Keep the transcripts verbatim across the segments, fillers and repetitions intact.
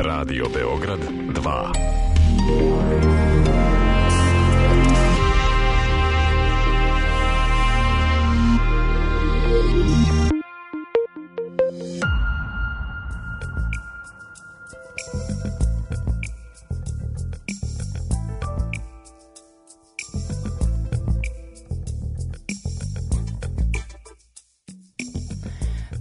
Radio Beograd dva.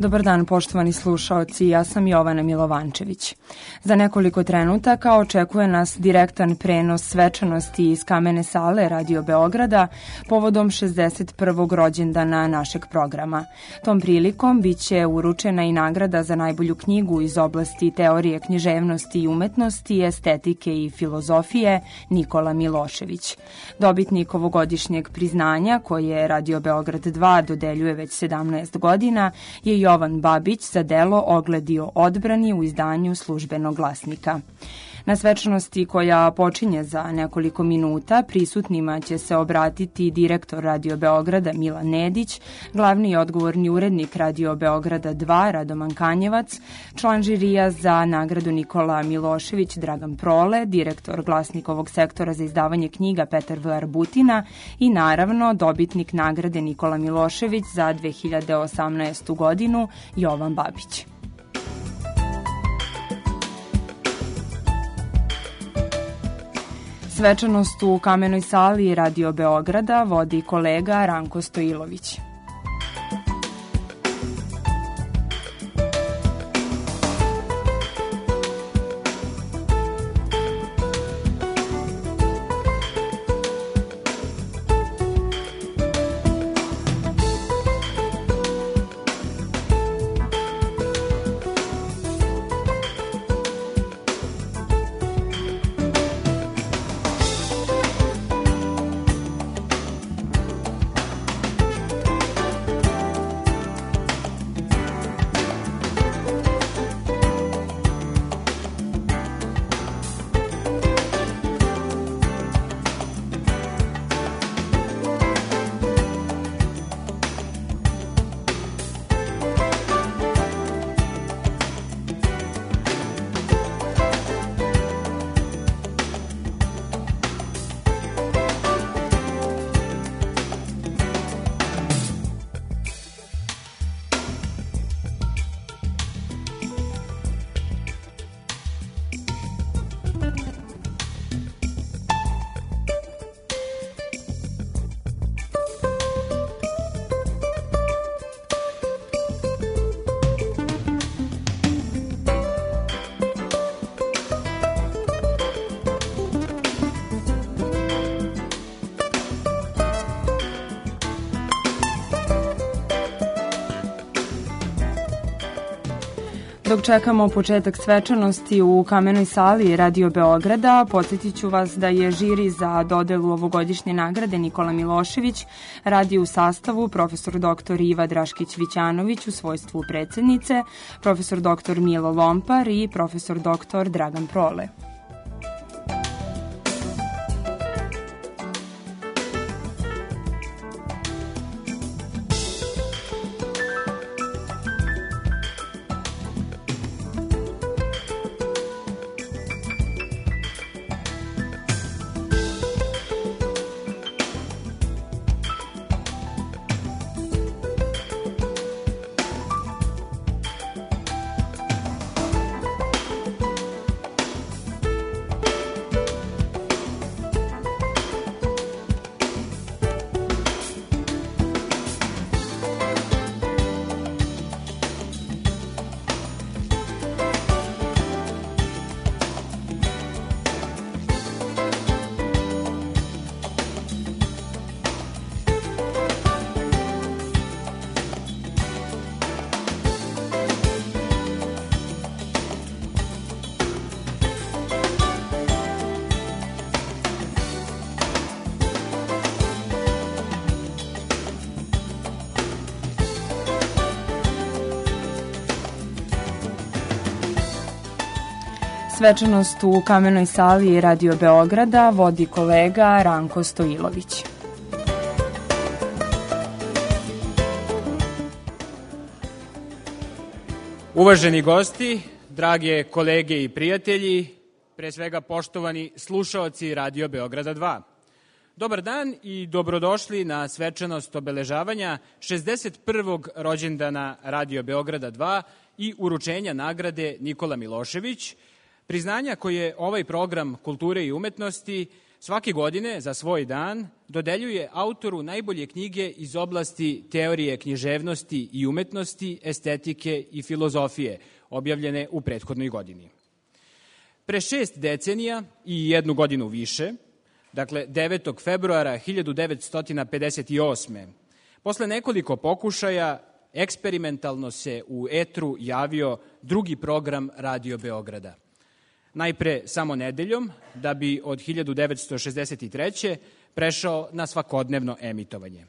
Dobar dan, poštovani slušaoci, ja sam Jovana Milovančević. Za nekoliko trenutaka očekuje nas direktan prenos svečanosti iz Kamene sale Radio Beograda povodom šezdeset prvog rođendana našeg programa. Tom prilikom biće uručena i nagrada za najbolju knjigu iz oblasti teorije književnosti i umetnosti, estetike i filozofije Nikola Milošević. Dobitnik ovogodišnjeg priznanja, koje Radio Beograd dva dodeljuje već sedamnaest godina, je Jovan Babić za delo Ogledio odbrani u izdanju Službenog glasnika. Na svečanosti koja počinje za nekoliko minuta prisutnima će se obratiti direktor Radio Beograda Milan Nedić, glavni i odgovorni urednik Radio Beograda dva Radoman Kanjevac, član žirija za nagradu Nikola Milošević Dragan Prole, direktor Glasnikovog sektora za izdavanje knjiga Petar V. Arbutina i naravno dobitnik nagrade Nikola Milošević za dve hiljade osamnaestu godinu Jovan Babić. Svečanost u Kamenoj sali Radio Beograda vodi kolega Ranko Stojilović. Dok čekamo početak svečanosti u Kamenoj sali Radio Beograda, podsjetit ću vas da je žiri za dodelu ovogodišnje nagrade Nikola Milošević radi u sastavu profesor doktor Iva Draškić-Vićanović u svojstvu predsednice, profesor doktor Milo Lompar i profesor doktor Dragan Prole. Svečanost u Kamenoj sali Radio Beograda vodi kolega Ranko Stojilović. Uvaženi gosti, drage kolege i prijatelji, pre svega poštovani slušaoci Radio Beograda dva. Dobar dan i dobrodošli na svečanost obeležavanja šezdeset prvog rođendana Radio Beograda dva i uručenja nagrade Nikola Milošević, priznanja koje ovaj program kulture i umetnosti svake godine za svoj dan dodeljuje autoru najbolje knjige iz oblasti teorije književnosti i umetnosti, estetike i filozofije, objavljene u prethodnoj godini. Pre šest decenija i jednu godinu više, dakle devetog februara hiljadu devetsto pedeset osme. posle nekoliko pokušaja eksperimentalno se u etru javio drugi program Radio Beograda. Najpre samo nedeljom, da bi od hiljadu devetsto šezdeset treće. prešao na svakodnevno emitovanje.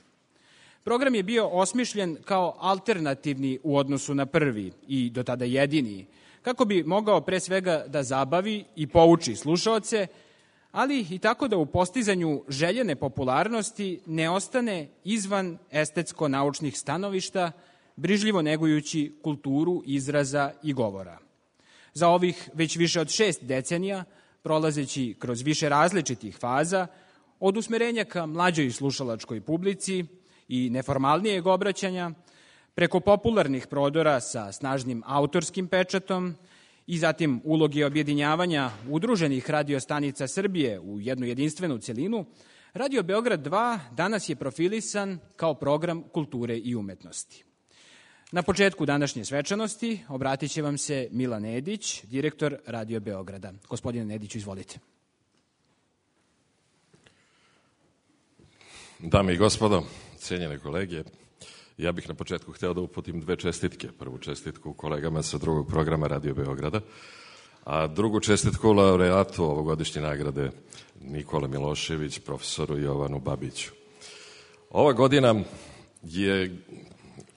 Program je bio osmišljen kao alternativni u odnosu na prvi i do tada jedini, kako bi mogao pre svega da zabavi i pouči slušaoce, ali i tako da u postizanju željene popularnosti ne ostane izvan estetsko-naučnih stanovišta, brižljivo negujući kulturu izraza i govora. Za ovih već više od šest decenija, prolazeći kroz više različitih faza, od usmerenja ka mlađoj slušalačkoj publici i neformalnijeg obraćanja, preko popularnih prodora sa snažnim autorskim pečatom i zatim uloge objedinjavanja udruženih radiostanica Srbije u jednu jedinstvenu celinu, Radio Beograd dva danas je profilisan kao program kulture i umetnosti. Na početku današnje svečanosti obratit će vam se Milan Nedić, direktor Radio Beograda. Gospodine Nediću, izvolite. Dame i gospodo, cijenjene kolege, ja bih na početku hteo da uputim dve čestitke. Prvu čestitku kolegama sa drugog programa Radio Beograda, a drugu čestitku laureatu ovogodišnje nagrade Nikola Milošević, profesoru Jovanu Babiću. Ova godina je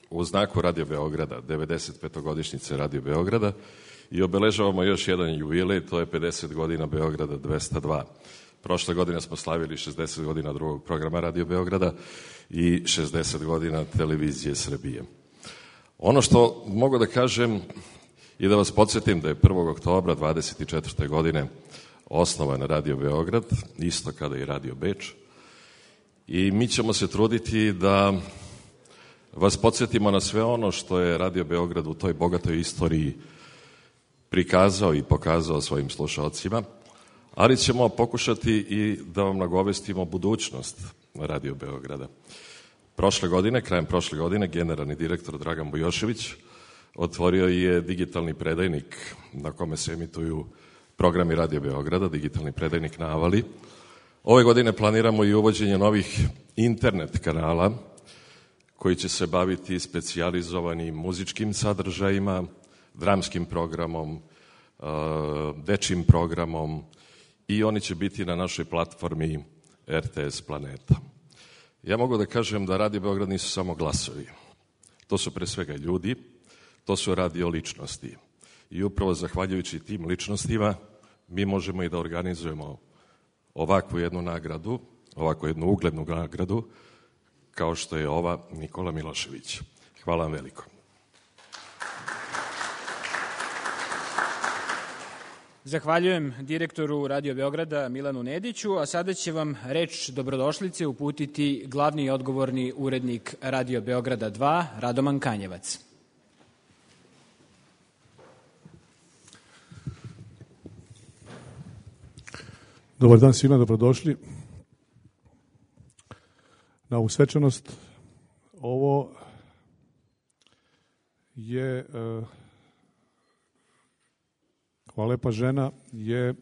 u znaku Radio Beograda, devedeset petogodišnjice Radio Beograda, i obeležavamo još jedan jubilej, to je pedeset godina Beograda dvesta dva. Prošle godine smo slavili šezdeset godina drugog programa Radio Beograda i šezdeset godina Televizije Srbije. Ono što mogu da kažem i da vas podsjetim da je prvog oktobra dvadeset četvrte. godine osnovan Radio Beograd, isto kada i Radio Beč, i mi ćemo se truditi da vas podsjetimo na sve ono što je Radio Beograd u toj bogatoj istoriji prikazao i pokazao svojim slušalcima, ali ćemo pokušati i da vam nagovestimo budućnost Radio Beograda. Prošle godine, krajem prošle godine, generalni direktor Dragan Bujošević otvorio je digitalni predajnik na kome se emituju programi Radio Beograda, digitalni predajnik na Avali. Ove godine planiramo i uvođenje novih internet kanala koji će se baviti specijalizovanim muzičkim sadržajima, dramskim programom, dečjim programom, i oni će biti na našoj platformi R T S Planeta. Ja mogu da kažem da Radio Beograd nisu samo glasovi. To su pre svega ljudi, to su radio ličnosti. I upravo zahvaljujući tim ličnostima mi možemo i da organizujemo ovakvu jednu nagradu, ovakvu jednu uglednu nagradu, kao što je ova Nikola Milošević. Hvala vam veliko. Zahvaljujem direktoru Radio Beograda Milanu Nediću, a sada će vam reč dobrodošlice uputiti glavni i odgovorni urednik Radio Beograda dva, Radoman Kanjevac. Dobar dan svima, dobrodošli na ovu svečanost. Ovo je uh, Hvala lepa žena je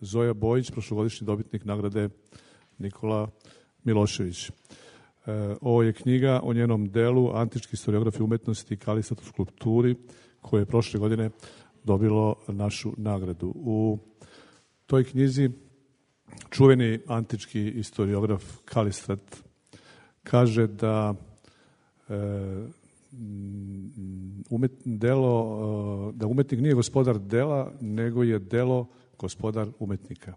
Zoja Bojić, prošlogodišnji dobitnik nagrade Nikola Milošević. Ovo je knjiga o njenom delu Antički historiografi umetnosti i Kalistat u skulpturi, koje je prošle godine dobilo našu nagradu. U toj knjizi čuveni antički historiograf Kalistat kaže da Umet, delo, da umetnik nije gospodar dela, nego je delo gospodar umetnika.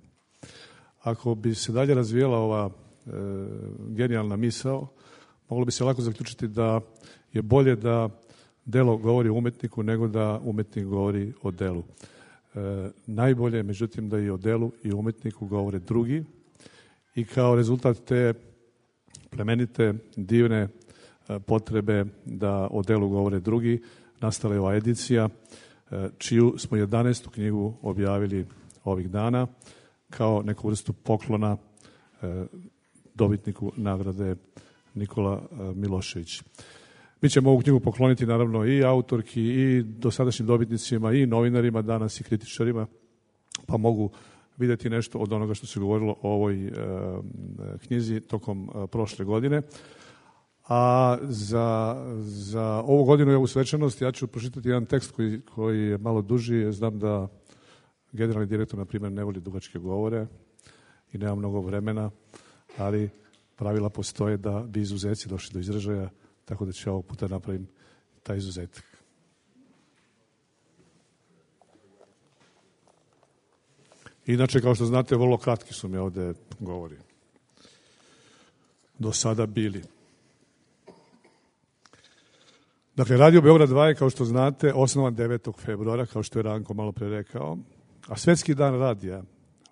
Ako bi se dalje razvijela ova e, genijalna misao, moglo bi se lako zaključiti da je bolje da delo govori o umetniku nego da umetnik govori o delu. E, najbolje je, međutim, da i o delu i o umetniku govore drugi i kao rezultat te plemenite, divne e, potrebe da o delu govore drugi, nastala je ova edicija, e, čiju smo jedanaestu knjigu objavili ovih dana kao neku vrstu poklona e, dobitniku nagrade Nikola Milošević. Mi ćemo ovu knjigu pokloniti naravno i autorki i dosadašnjim dobitnicima i novinarima danas i kritičarima, pa mogu vidjeti nešto od onoga što se govorilo o ovoj e, knjizi tokom e, prošle godine. A za, za ovu godinu i ovu svečanost ja ću pročitati jedan tekst koji, koji je malo duži. Znam da generalni direktor, na primjer, ne voli dugačke govore i nema mnogo vremena, ali pravila postoje da bi izuzeci došli do izražaja, tako da ću ovog puta napravim taj izuzetak. Inače, kao što znate, vrlo kratki su mi ovde govori. Do sada bili. Dakle, Radio Beograd dva je, kao što znate, osnovan devetog februara, kao što je Ranko malo pre rekao, a Svetski dan radija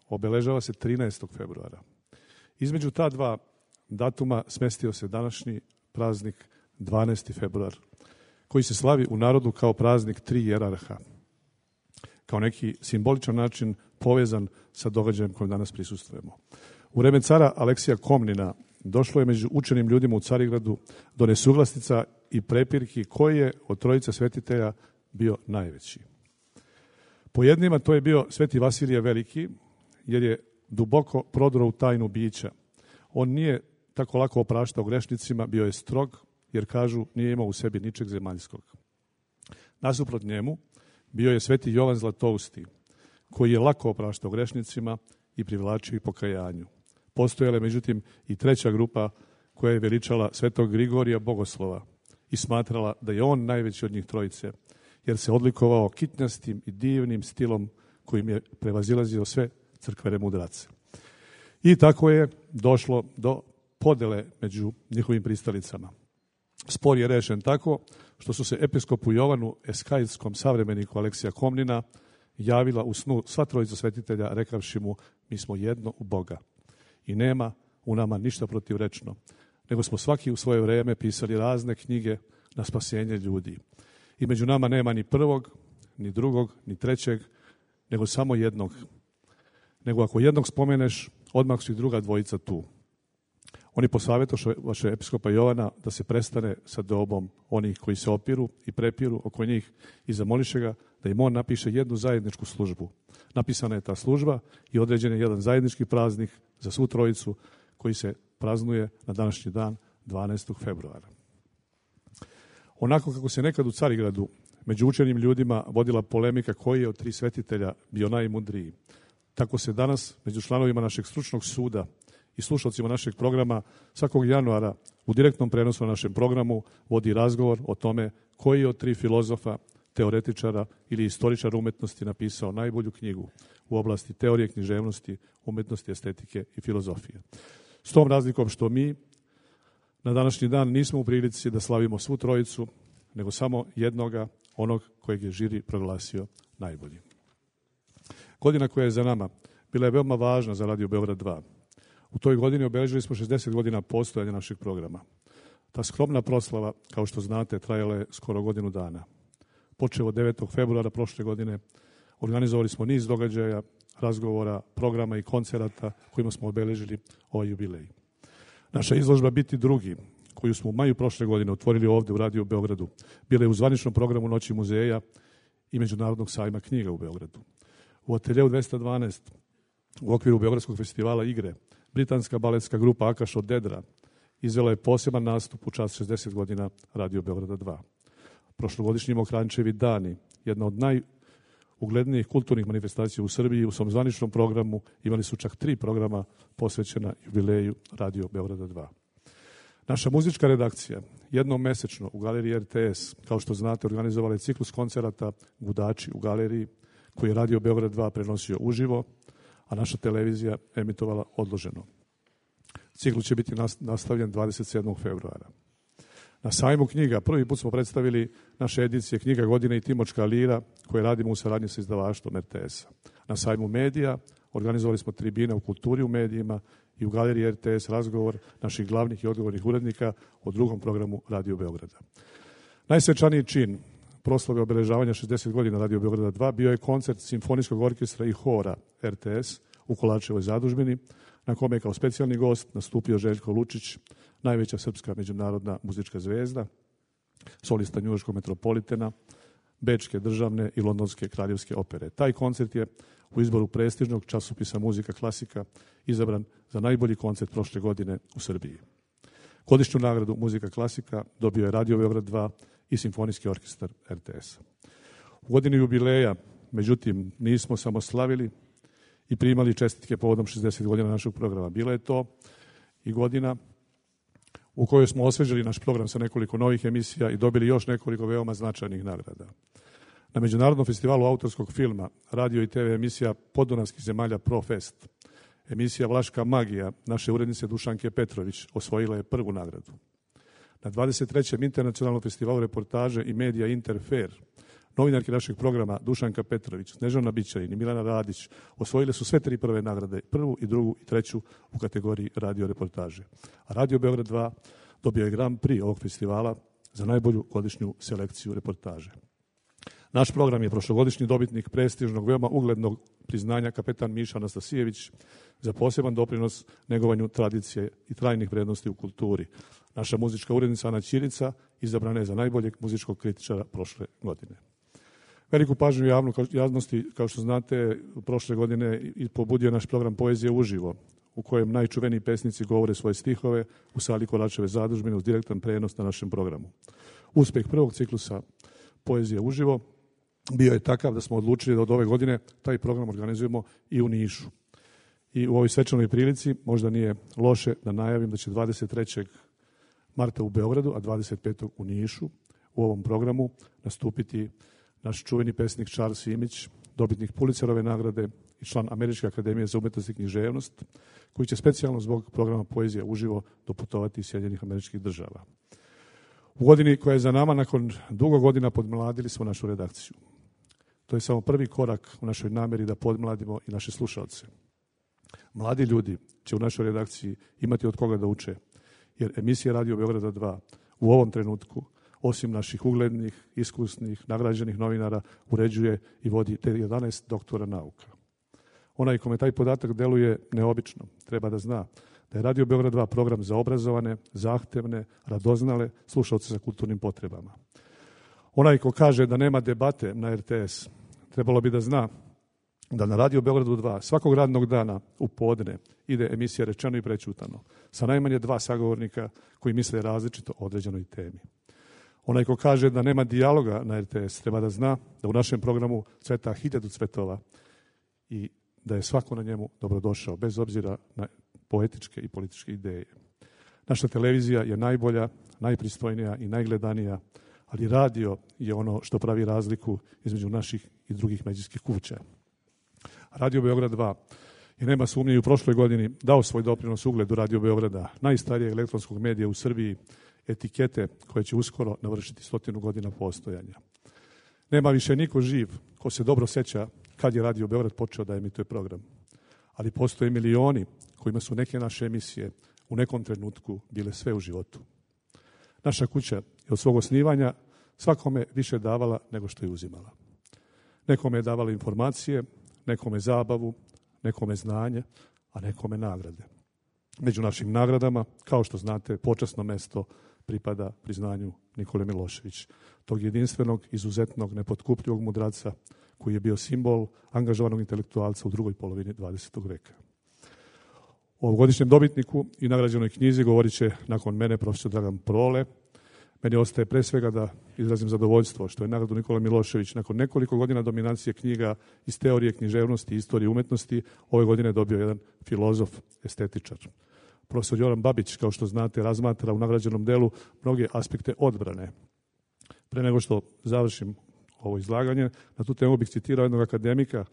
obeležava se trinaestog februara. Između ta dva datuma smestio se današnji praznik dvanaesti februar, koji se slavi u narodu kao praznik tri jerarha, kao neki simboličan način povezan sa događajem kojem danas prisustvujemo. U vreme cara Aleksija Komnina došlo je među učenim ljudima u Carigradu do nesuglasnica i prepirki koji je od trojice svetitelja bio najveći. Po jednima to je bio Sveti Vasilije Veliki, jer je duboko prodro u tajnu bića. On nije tako lako opraštao grešnicima, bio je strog, jer kažu nije imao u sebi ničeg zemaljskog. Nasuprot njemu bio je Sveti Jovan Zlatousti, koji je lako opraštao grešnicima i privlačio ih pokajanju. Postojala je, međutim, i treća grupa koja je veličala Svetog Grigorija Bogoslova i smatrala da je on najveći od njih trojice, jer se odlikovao kitnjastim i divnim stilom kojim je prevazilazio sve crkvene mudrace. I tako je došlo do podele među njihovim pristalicama. Spor je rešen tako što su se episkopu Jovanu Eskajskom savremeniku Aleksija Komnina javila u snu sva trojica svetitelja rekavši mu: mi smo jedno u Boga i nema u nama ništa protivrečno, nego smo svaki u svoje vreme pisali razne knjige na spasenje ljudi. I među nama nema ni prvog, ni drugog, ni trećeg, nego samo jednog. Nego ako jednog spomeneš, odmah su i druga dvojica tu. Oni posavjetoše vaše episkopa Jovana da se prestane sa dobom onih koji se opiru i prepiru oko njih i zamoliše ga da im on napiše jednu zajedničku službu. Napisana je ta služba i određen je jedan zajednički praznik za svu trojicu koji se praznuje na današnji dan dvanaestog februara. Onako kako se nekad u Carigradu među učenim ljudima vodila polemika koji je od tri svetitelja bio najmudriji, tako se danas među članovima našeg stručnog suda i slušalcima našeg programa svakog januara u direktnom prenosu na našem programu vodi razgovor o tome koji je od tri filozofa, teoretičara ili istoričara umetnosti napisao najbolju knjigu u oblasti teorije književnosti, umetnosti, estetike i filozofije. S tom razlikom što mi na današnji dan nismo u prilici da slavimo svu trojicu, nego samo jednoga, onog kojeg je žiri proglasio najboljim. Godina koja je za nama bila je veoma važna za Radio Beograd dva. U toj godini obeležili smo šezdeset godina postojanja našeg programa. Ta skromna proslava, kao što znate, trajala je skoro godinu dana. Počeo od devetog februara prošle godine, organizovali smo niz događaja, razgovora, programa i koncerata kojima smo obeležili ovaj jubilej. Naša izložba Biti drugi, koju smo u maju prošle godine otvorili ovde u Radio Beogradu, bila je u zvaničnom programu Noći muzeja i Međunarodnog sajma knjiga u Beogradu. U ateljeu dvesta dvanaest, u okviru Beogradskog festivala igre, britanska baletska grupa Akaš od Dedra izvela je poseban nastup u čast šezdeset godina Radio Beograda dva. Prošlogodišnji Mokrančevi dani, jedna od najuglednijih kulturnih manifestacija u Srbiji, u svom zvaničnom programu imali su čak tri programa posvećena jubileju Radio Beograda dva. Naša muzička redakcija jednom mesečno u galeriji R T S, kao što znate, organizovala je ciklus koncerata Gudači u galeriji, koji je Radio Beograd dva prenosio uživo, a naša televizija emitovala odloženo. Ciklus će biti nastavljen dvadeset sedmog februara. Na sajmu knjiga prvi put smo predstavili naše edicije Knjiga godine i Timočka lira koje radimo u saradnji sa izdavaštvom R T S-a. Na sajmu medija organizovali smo tribine u kulturi u medijima i u galeriji R T S razgovor naših glavnih i odgovornih urednika o drugom programu Radio Beograda. Najsvečaniji čin proslave obeležavanja šezdeset godina Radio Beograda dva bio je koncert simfonijskog orkestra i hora R T S u Kolarčevoj zadužbini, na kome je kao specijalni gost nastupio Željko Lučić, najveća srpska međunarodna muzička zvezda, solista njujorškog metropolitena, bečke državne i londonske kraljevske opere. Taj koncert je u izboru prestižnog časopisa Muzika klasika izabran za najbolji koncert prošle godine u Srbiji. Godišnju nagradu Muzika klasika dobio je Radio Beograd dva i Simfonijski orkestar R T S. U godini jubileja, međutim, nismo samo slavili i primali čestitke povodom šezdeset godina našeg programa. Bila je to i godina u kojoj smo osvežili naš program sa nekoliko novih emisija i dobili još nekoliko veoma značajnih nagrada. Na Međunarodnom festivalu autorskog filma, radio i te ve emisija Podunavskih zemalja Profest, emisija Vlaška magija naše urednice Dušanke Petrović osvojila je prvu nagradu. Na dvadeset trećem internacionalnom festivalu reportaže i medija Interfer, novinarki našeg programa Dušanka Petrović, Snežana Bićanin i Milana Radić osvojile su sve tri prve nagrade, prvu i drugu i treću u kategoriji radio reportaže. A Radio Beograd dva dobio je Grand Prix ovog festivala za najbolju godišnju selekciju reportaže. Naš program je prošlogodišnji dobitnik prestižnog, veoma uglednog priznanja kapetan Miša Anastasijević za poseban doprinos negovanju tradicije i trajnih vrednosti u kulturi. Naša muzička urednica Ana Ćirica izabrana je za najboljeg muzičkog kritičara prošle godine. Veliku pažnju javnu, javnosti, kao što znate, prošle godine i pobudio naš program Poezije uživo, u kojem najčuveniji pesnici govore svoje stihove u sali Kolarčeve zadužbine uz direktan prenos na našem programu. Uspeh prvog ciklusa Poezije uživo bio je takav da smo odlučili da od ove godine taj program organizujemo i u Nišu. I u ovoj svečanoj prilici možda nije loše da najavim da će dvadeset trećeg marta u Beogradu, a dvadeset petog u Nišu u ovom programu nastupiti naš čuveni pesnik Charles Simić, dobitnik Pulitzerove nagrade i član Američke akademije za umetnost i književnost, koji će specijalno zbog programa Poezija uživo doputovati iz Sjedinjenih Američkih Država. U godini koja je za nama, nakon dugo godina podmladili smo našu redakciju. To je samo prvi korak u našoj nameri da podmladimo i naše slušalce. Mladi ljudi će u našoj redakciji imati od koga da uče, jer emisija Radio Beograda dva u ovom trenutku, osim naših uglednih, iskusnih, nagrađenih novinara, uređuje i vodi te jedanaest doktora nauka. Onaj kome taj podatak deluje neobično, treba da zna da je Radio Beograd dva program za obrazovane, zahtevne, radoznale slušalce sa kulturnim potrebama. Onaj ko kaže da nema debate na R T S, trebalo bi da zna da na Radio Beogradu dva svakog radnog dana u podne ide emisija Rečeno i prećutano sa najmanje dva sagovornika koji misle različito o određenoj temi. Onaj ko kaže da nema dijaloga na R T S treba da zna da u našem programu cveta hiljadu cvetova i da je svako na njemu dobrodošao, bez obzira na poetičke i političke ideje. Naša televizija je najbolja, najpristojnija i najgledanija, ali radio je ono što pravi razliku između naših i drugih medijskih kuća. Radio Beograd dva je, nema sumnje, i u prošloj godini dao svoj doprinos ugledu Radio Beograda, najstarijeg elektronskog medija u Srbiji, etikete koje će uskoro navršiti stotinu godina postojanja. Nema više niko živ ko se dobro seća kad je Radio Beograd počeo da emituje program. Ali postoje milioni kojima su neke naše emisije u nekom trenutku bile sve u životu. Naša kuća je od svog osnivanja svakome više davala nego što je uzimala. Nekome je davala informacije, nekome zabavu, nekome znanje, a nekome nagrade. Među našim nagradama, kao što znate, počasno mesto pripada priznanju Nikole Milošević, tog jedinstvenog, izuzetnog, nepotkupljivog mudraca koji je bio simbol angažovanog intelektualca u drugoj polovini dvadesetog veka. O ovogodišnjem dobitniku i nagrađenoj knjizi govorit će nakon mene profesor Dragan Prole. Meni ostaje pre svega da izrazim zadovoljstvo što je nagradu Nikola Milošević nakon nekoliko godina dominacije knjiga iz teorije književnosti i istorije umetnosti ove godine dobio jedan filozof, estetičar. Profesor Joran Babić, kao što znate, razmatra u nagrađenom delu mnoge aspekte odbrane. Pre nego što završim ovo izlaganje, na tu temu bih citirao jednog akademika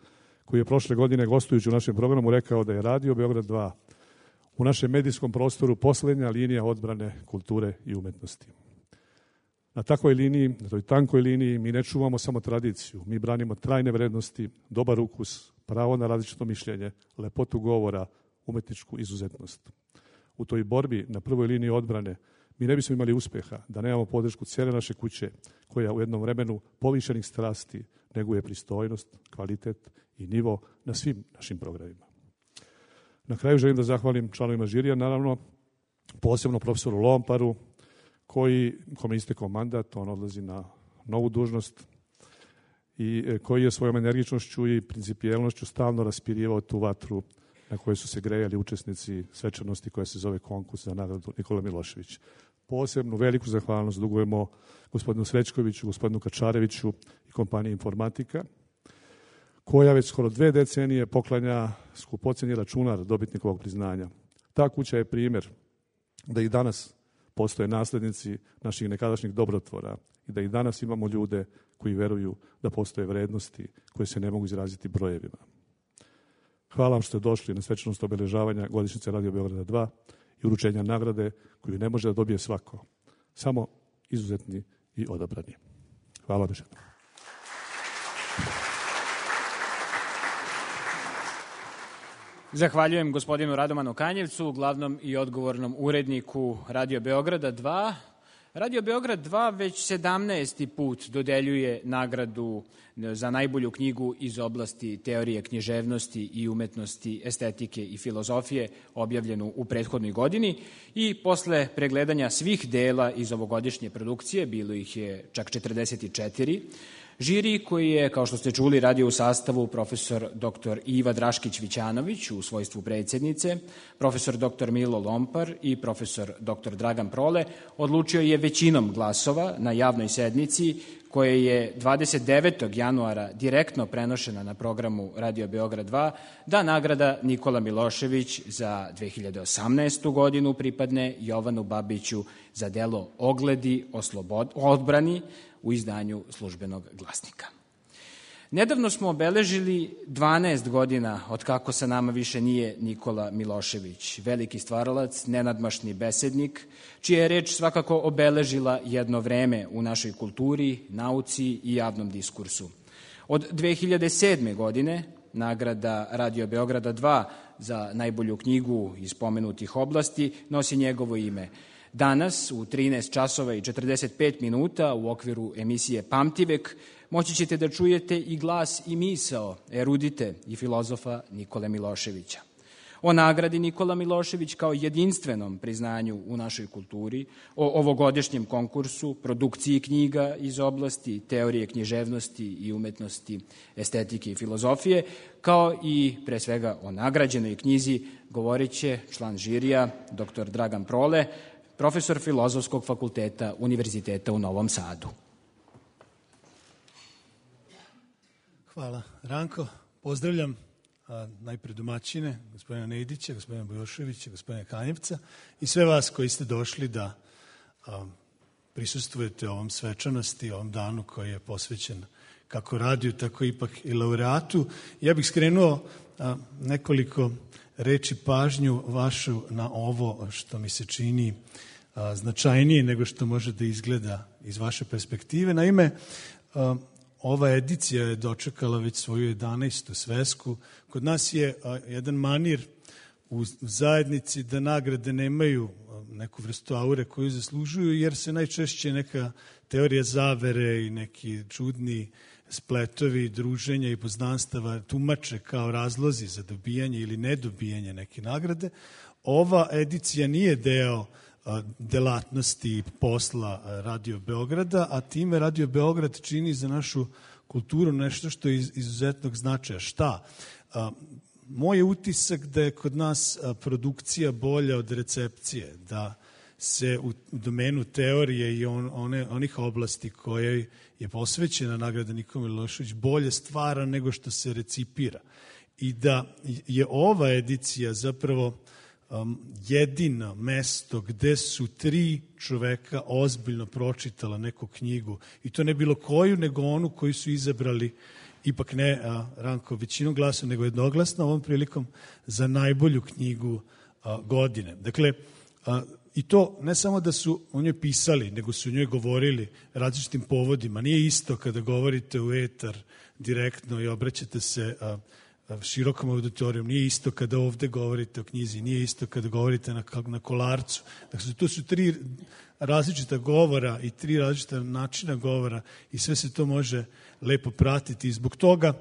koji je prošle godine, gostujući u našem programu, rekao da je Radio Beograd dva u našem medijskom prostoru poslednja linija odbrane kulture i umetnosti. Na takvoj liniji, na toj tankoj liniji, mi ne čuvamo samo tradiciju, mi branimo trajne vrednosti, dobar ukus, pravo na različito mišljenje, lepotu govora, umetničku izuzetnost. U toj borbi na prvoj liniji odbrane mi ne bismo imali uspeha da nemamo podršku cijele naše kuće, koja u jednom vremenu povišenih strasti neguje pristojnost, kvalitet i nivo na svim našim programima. Na kraju želim da zahvalim članovima žirija, naravno, posebno profesoru Lomparu, koji, kome istekao mandat, on odlazi na novu dužnost i koji je svojom energičnošću i principijelnošću stalno raspirivao tu vatru na kojoj su se grejali učesnici svečanosti koja se zove konkurs za nagradu Nikola Milošević. Posebnu veliku zahvalnost dugujemo gospodinu Srećkoviću, gospodinu Kačareviću i kompaniji Informatika, koja već skoro dve decenije poklanja skupocjeni računar dobitnikovog priznanja. Ta kuća je primjer da i danas postoje naslednici naših nekadašnjih dobrotvora i da i danas imamo ljude koji veruju da postoje vrednosti koje se ne mogu izraziti brojevima. Hvala vam što ste došli na svečanost obeležavanja godišnjice Radio Beograda dva i uručenja nagrade koju ne može da dobije svako, samo izuzetni i odabrani. Hvala vam. Zahvaljujem gospodinu Radomanu Kanjevcu, glavnom i odgovornom uredniku Radio Beograda dva. Radio Beograd dva već sedamnaesti put dodeljuje nagradu za najbolju knjigu iz oblasti teorije književnosti i umetnosti, estetike i filozofije, objavljenu u prethodnoj godini, i posle pregledanja svih dela iz ovogodišnje produkcije, bilo ih je čak četrdeset četiri, žiri koji je, kao što ste čuli, radio u sastavu profesor doktor Iva Draškić-Vićanović u svojstvu predsjednice, profesor doktor Milo Lompar i profesor doktor Dragan Prole, odlučio je većinom glasova na javnoj sednici koje je dvadeset devetog januara direktno prenošena na programu Radio Beograd dva, da nagrada Nikola Milošević za dve hiljade osamnaestu godinu pripadne Jovanu Babiću za delo Ogledi o slobod, odbrani u izdanju Službenog glasnika. Nedavno smo obeležili dvanaest godina od kako sa nama više nije Nikola Milošević, veliki stvaralac, nenadmašni besednik, čija je reč svakako obeležila jedno vreme u našoj kulturi, nauci i javnom diskursu. Od dve hiljade sedme. godine nagrada Radio Beograda dva za najbolju knjigu iz pomenutih oblasti nosi njegovo ime. Danas u trinaest časova i četrdeset pet minuta u okviru emisije Pamtivek moći ćete da čujete i glas i misao erudite i filozofa Nikole Miloševića. O nagradi Nikola Milošević kao jedinstvenom priznanju u našoj kulturi, o ovogodišnjem konkursu, produkciji knjiga iz oblasti teorije književnosti i umetnosti, estetike i filozofije, kao i pre svega o nagrađenoj knjizi govorit će član žirija doktor Dragan Prole, profesor Filozofskog fakulteta Univerziteta u Novom Sadu. Hvala, Ranko. Pozdravljam a, najpre domaćine, gospodina Nejdića, gospodina Bojoševića, gospodina Kanjevca i sve vas koji ste došli da a, prisustvujete ovom svečanosti, ovom danu koji je posvećen kako radiju, tako ipak i laureatu. Ja bih skrenuo a, nekoliko reči pažnju vašu na ovo što mi se čini a, značajnije nego što može da izgleda iz vaše perspektive. Naime, a, ova edicija je dočekala već svoju jedanaestu svesku. Kod nas je a, jedan manir u zajednici da nagrade nemaju a, neku vrstu aure koju zaslužuju, jer se najčešće neka teorija zavere i neki čudni spletovi druženja i poznanstava tumače kao razlozi za dobijanje ili nedobijanje neke nagrade. Ova edicija nije deo a, delatnosti posla Radio Beograda, a time Radio Beograd čini za našu kulturu nešto što je iz izuzetnog značaja. Šta? A, moj je utisak da je kod nas a, produkcija bolja od recepcije, da se u domenu teorije i on, one, onih oblasti koje je posvećena nagrada Nikola Milošević bolje stvara nego što se recipira. I da je ova edicija zapravo um, jedino mesto gde su tri čoveka ozbiljno pročitala neku knjigu. I to ne bilo koju, nego onu koju su izabrali, ipak ne a, Ranko većinom glasa, nego jednoglasno ovom prilikom za najbolju knjigu a, godine. Dakle, a, I to ne samo da su o njoj pisali, nego su o njoj govorili različitim povodima. Nije isto kada govorite u etar direktno i obraćate se a, a, širokom auditorijom. Nije isto kada ovde govorite o knjizi. Nije isto kada govorite na, na kolarcu. Dakle, to su tri različita govora i tri različita načina govora i sve se to može lepo pratiti. I zbog toga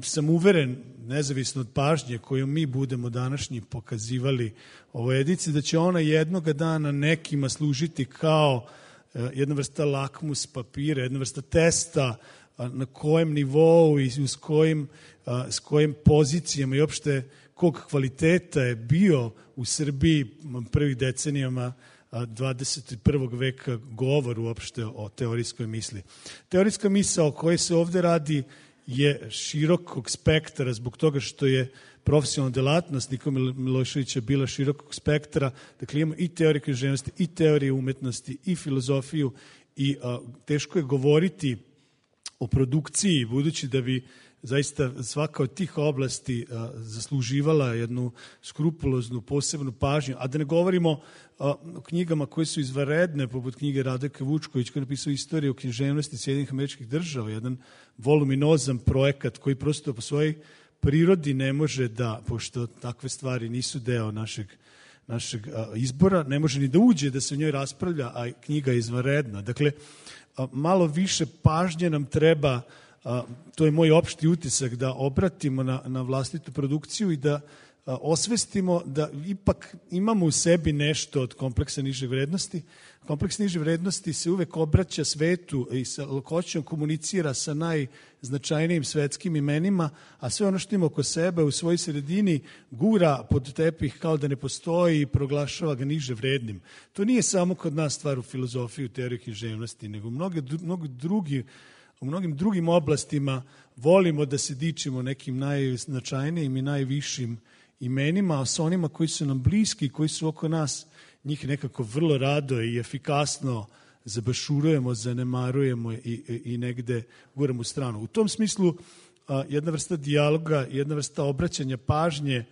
sam uveren, nezavisno od pažnje koju mi budemo današnji pokazivali ovoj ediciji, da će ona jednoga dana nekima služiti kao jedna vrsta lakmus papira, jedna vrsta testa na kojem nivou i s kojim, s kojim pozicijama i opšte kog kvaliteta je bio u Srbiji prvih decenijama dvadeset prvog veka govor uopšte o teorijskoj misli. Teorijska misla o kojoj se ovde radi je širokog spektra zbog toga što je profesionalna delatnost Nikole Miloševića bila širokog spektra. Dakle, imamo i teoriju književnosti, i teoriju umetnosti, i filozofiju i a, teško je govoriti o produkciji, budući da bi zaista svaka od tih oblasti a, zasluživala jednu skrupuloznu, posebnu pažnju, a da ne govorimo a, o knjigama koje su izvanredne, poput knjige Radoka Vučković, koji je napisao Istoriju književnosti Sjedinjenih Američkih Država, jedan voluminozan projekat koji prosto po svojoj prirodi ne može da, pošto takve stvari nisu deo našeg, našeg a, izbora, ne može ni da uđe da se u njoj raspravlja, a knjiga je izvanredna. Dakle, a, malo više pažnje nam treba. A, to je moj opšti utisak, da obratimo na, na vlastitu produkciju i da a, osvestimo da ipak imamo u sebi nešto od kompleksa niže vrednosti. Kompleks niže vrednosti se uvek obraća svetu i sa lakoćom komunicira sa najznačajnijim svetskim imenima, a sve ono što ima oko sebe u svojoj sredini gura pod tepih kao da ne postoji i proglašava ga niže vrednim. To nije samo kod nas stvar u filozofiji, u teoriji književnosti, nego mnogo, mnogo drugi u mnogim drugim oblastima volimo da se dičimo nekim najznačajnijim i najvišim imenima, a sa onima koji su nam bliski, koji su oko nas, njih nekako vrlo rado i efikasno zabašurujemo, zanemarujemo i, i, i negde guramo u stranu. U tom smislu a, jedna vrsta dijaloga, jedna vrsta obraćanja pažnje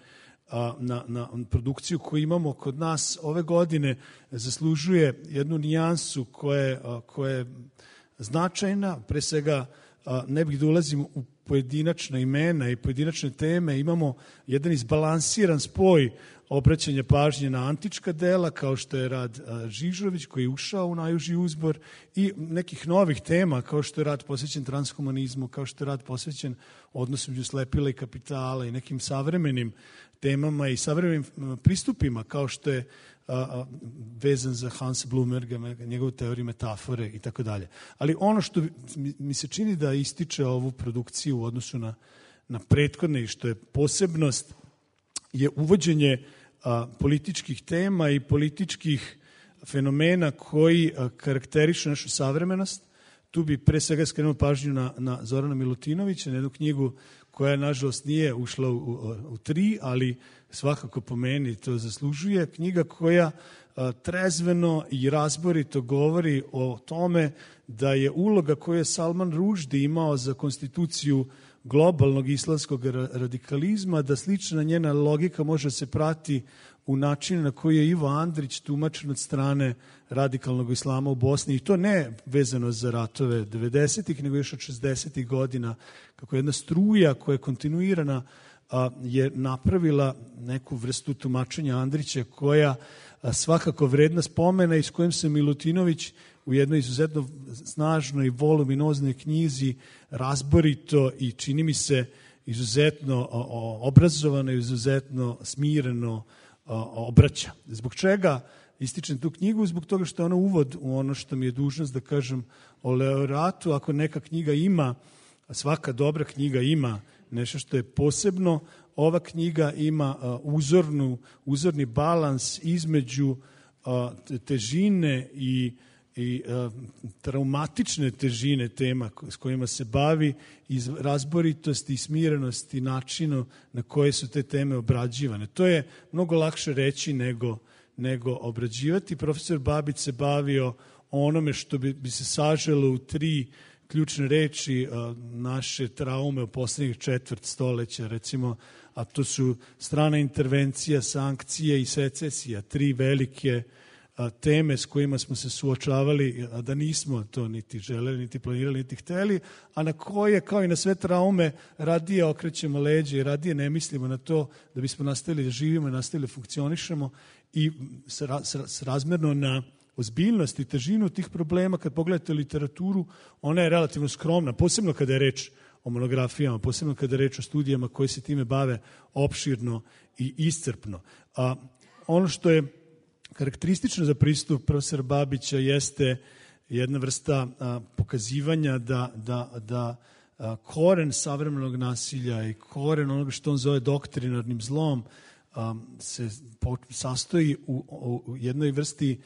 a, na, na produkciju koju imamo kod nas ove godine zaslužuje jednu nijansu koja, a, koja je značajna. Pre svega ne bih da ulazim u pojedinačna imena i pojedinačne teme. Imamo jedan izbalansiran spoj obraćanja pažnje na antička dela, kao što je rad Žižović, koji je ušao u najuži uzbor, i nekih novih tema, kao što je rad posvećen transhumanizmu, kao što je rad posvećen odnosu među slepila i kapitala i nekim savremenim temama i savremenim pristupima, kao što je a, a, vezan za Hansa Blumberga, njegovu teoriju metafore i tako dalje. Ali ono što mi se čini da ističe ovu produkciju u odnosu na, na prethodne i što je posebnost, je uvođenje a, političkih tema i političkih fenomena koji a, karakterišu našu savremenost. Tu bi pre svega skrenuo pažnju na, na Zorana Milutinovića, na jednu knjigu koja, nažalost, nije ušla u, u, u tri, ali svakako po meni to zaslužuje. Knjiga koja a, trezveno i razborito govori o tome da je uloga koju je Salman Rushdie imao za konstituciju globalnog islamskog radikalizma, da slična njena logika može se prati u načinu na koji je Ivo Andrić tumačen od strane radikalnog islama u Bosni, i to ne vezano za ratove devedesetih, nego još od šezdesetih godina, kako jedna struja koja je kontinuirana a, je napravila neku vrstu tumačenja Andrića koja a, svakako vredna spomena i s kojim se Milutinović u jednoj izuzetno snažnoj i voluminoznoj knjizi razborito i čini mi se izuzetno obrazovano i izuzetno smireno obraća. Zbog čega ističem tu knjigu? Zbog toga što je ona uvod u ono što mi je dužnost da kažem o Leoratu. Ako neka knjiga ima, a svaka dobra knjiga ima nešto što je posebno, ova knjiga ima uzornu, uzorni balans između težine i i a, traumatične težine tema s kojima se bavi, iz razboritosti i smirenosti načinu na koje su te teme obrađivane. To je mnogo lakše reći nego, nego obrađivati. Profesor Babić se bavio onome što bi, bi se saželo u tri ključne reči a, naše traume u poslednjih četvrt stoleća, recimo, a to su strana intervencija, sankcije i secesija, tri velike teme s kojima smo se suočavali, a da nismo to niti želeli, niti planirali, niti hteli, a na koje, kao i na sve traume, radije okrećemo leđe i radije ne mislimo na to da bismo nastavili da živimo i nastavili da funkcionišemo i srazmerno na ozbiljnost i težinu tih problema, kad pogledate literaturu, ona je relativno skromna, posebno kada je reč o monografijama, posebno kada je reč o studijama koje se time bave opširno i iscrpno. A ono što je karakteristično za pristup profesora Babića jeste jedna vrsta a, pokazivanja da, da, da a, koren savremenog nasilja i koren onoga što on zove doktrinarnim zlom a, se po, sastoji u, u jednoj vrsti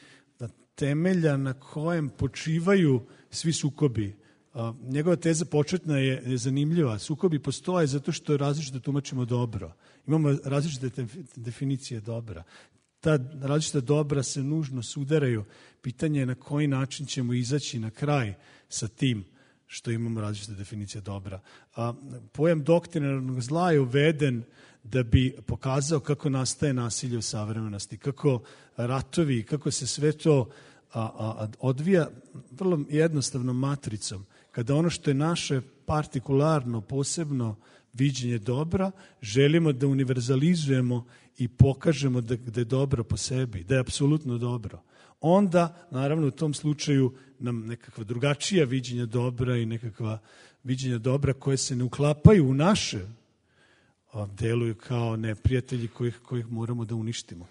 temelja na kojem počivaju svi sukobi. A, njegova teza početna je, je zanimljiva. Sukobi postoje zato što različito tumačimo dobro. Imamo različite definicije dobra. Ta različita dobra se nužno sudaraju. Pitanje je na koji način ćemo izaći na kraj sa tim što imamo različite definicije dobra. A, pojam doktrinarnog zla je uveden da bi pokazao kako nastaje nasilje u savremenosti, kako ratovi, kako se sve to a, a, odvija vrlo jednostavnom matricom. Kada ono što je naše partikularno, posebno viđenje dobra, želimo da univerzalizujemo i pokažemo da, da je dobro po sebi, da je apsolutno dobro. Onda, naravno, u tom slučaju nam nekakva drugačija viđenja dobra i nekakva viđenja dobra koje se ne uklapaju u naše, deluju kao neprijatelji kojih, kojih moramo da uništimo.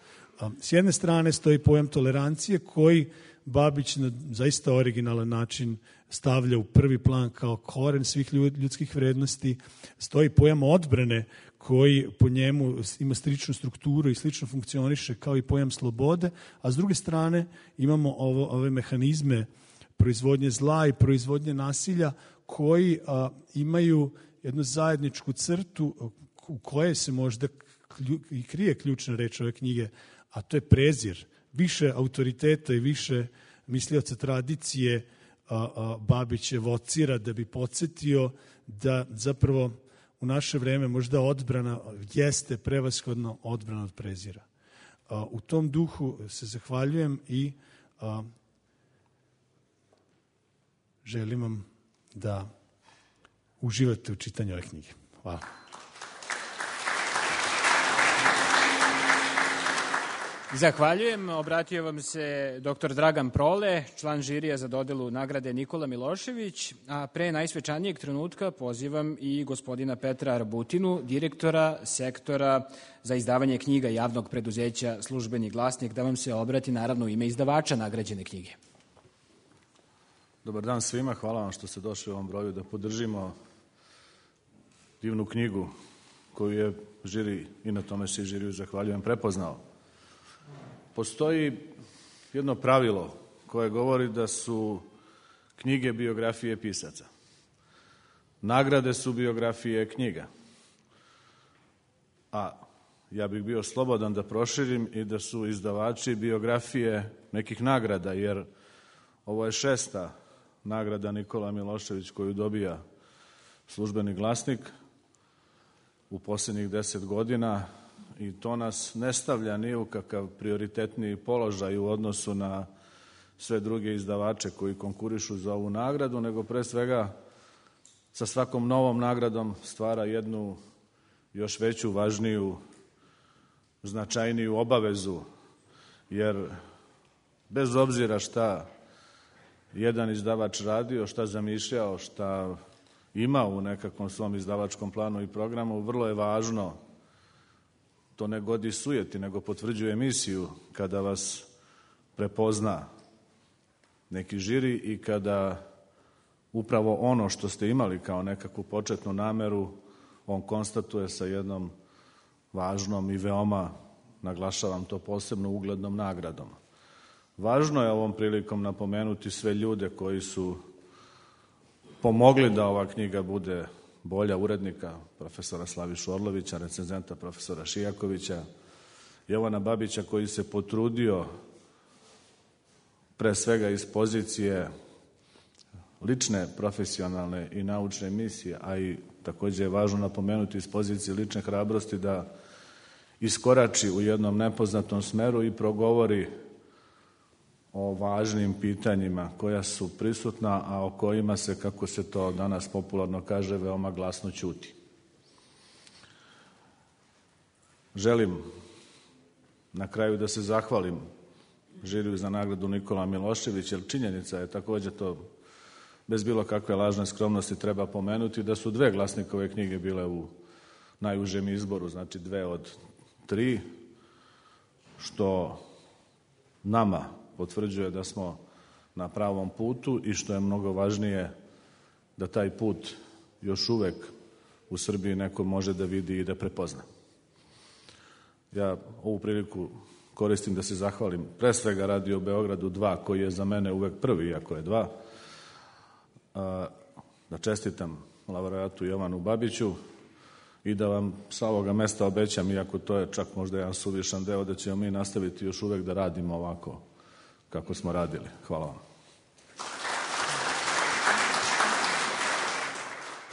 S jedne strane stoji pojam tolerancije koji Babić na zaista originalan način stavlja u prvi plan kao koren svih ljudskih vrednosti. Stoji pojam odbrane koji po njemu ima sličnu strukturu i slično funkcioniše kao i pojam slobode, a s druge strane imamo ovo, ove mehanizme proizvodnje zla i proizvodnje nasilja koji a, imaju jednu zajedničku crtu u kojoj se možda i krije ključna reč ove knjige, a to je prezir. Više autoriteta i više mislioca tradicije a, a, Babić evocira da bi podsjetio da zapravo u naše vreme možda odbrana jeste prevashodno odbrana od prezira. A, u tom duhu se zahvaljujem i a, želim vam da uživate u čitanju ove knjige. Hvala. Zahvaljujem. Obratio vam se doktor Dragan Prole, član žirija za dodelu nagrade Nikola Milošević, a pre najsvečanijeg trenutka pozivam i gospodina Petra Arbutinu, direktora sektora za izdavanje knjiga javnog preduzeća Službeni glasnik, da vam se obrati naravno u ime izdavača nagrađene knjige. Dobar dan svima, hvala vam što ste došli u ovom broju da podržimo divnu knjigu koju je žiri, i na tome se žiriju zahvaljujem, prepoznao. Postoji jedno pravilo koje govori da su knjige biografije pisaca. Nagrade su biografije knjiga. A ja bih bio slobodan da proširim i da su izdavači biografije nekih nagrada, jer ovo je šesta nagrada Nikola Milošević koju dobija Službeni glasnik u posljednjih deset godina, i to nas ne stavlja ni u kakav prioritetniji položaj u odnosu na sve druge izdavače koji konkurišu za ovu nagradu, nego pre svega sa svakom novom nagradom stvara jednu još veću, važniju, značajniju obavezu, jer bez obzira šta jedan izdavač radio, šta zamišljao, šta ima u nekakvom svom izdavačkom planu i programu, vrlo je važno, to ne godi sujeti, nego potvrđuje emisiju kada vas prepozna neki žiri i kada upravo ono što ste imali kao nekakvu početnu nameru, on konstatuje sa jednom važnom i veoma, naglašavam to posebno, uglednom nagradom. Važno je ovom prilikom napomenuti sve ljude koji su pomogli da ova knjiga bude bolja, urednika profesora Slavišu Orlovića, recenzenta profesora Šijakovića, Jovana Babića koji se potrudio pre svega iz pozicije lične, profesionalne i naučne misije, a i takođe je važno napomenuti iz pozicije lične hrabrosti da iskorači u jednom nepoznatom smeru i progovori o važnim pitanjima koja su prisutna, a o kojima se, kako se to danas popularno kaže, veoma glasno ćuti. Želim na kraju da se zahvalim žiriju za nagradu Nikola Milošević, jer činjenica je takođe to, bez bilo kakve lažne skromnosti treba pomenuti, da su dve Glasnikove knjige bile u najužem izboru, znači dve od tri, što nama potvrđuje da smo na pravom putu i što je mnogo važnije da taj put još uvek u Srbiji neko može da vidi i da prepozna. Ja ovu priliku koristim da se zahvalim pre svega Radio Beogradu dva, koji je za mene uvek prvi, iako je dva, da čestitam laureatu Jovanu Babiću i da vam sa ovoga mesta obećam, iako to je čak možda jedan suvišan deo, da ćemo mi nastaviti još uvek da radimo ovako kako smo radili. Hvala vam.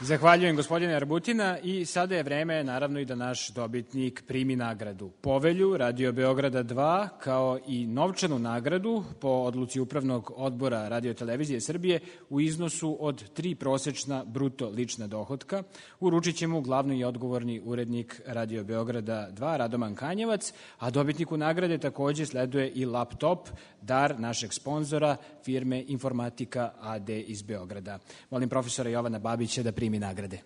Zahvaljujem gospodine Arbutina i sada je vreme naravno i da naš dobitnik primi nagradu Povelju Radio Beograda dva kao i novčanu nagradu po odluci Upravnog odbora Radio-televizije Srbije u iznosu od tri prosečna bruto lična dohotka. Uručit će mu glavni i odgovorni urednik Radio Beograda dva Radoman Kanjevac, a dobitniku nagrade takođe sleduje i laptop, dar našeg sponzora firme Informatika a de iz Beograda. Molim profesora Jovana Babića da primi mi nagrade.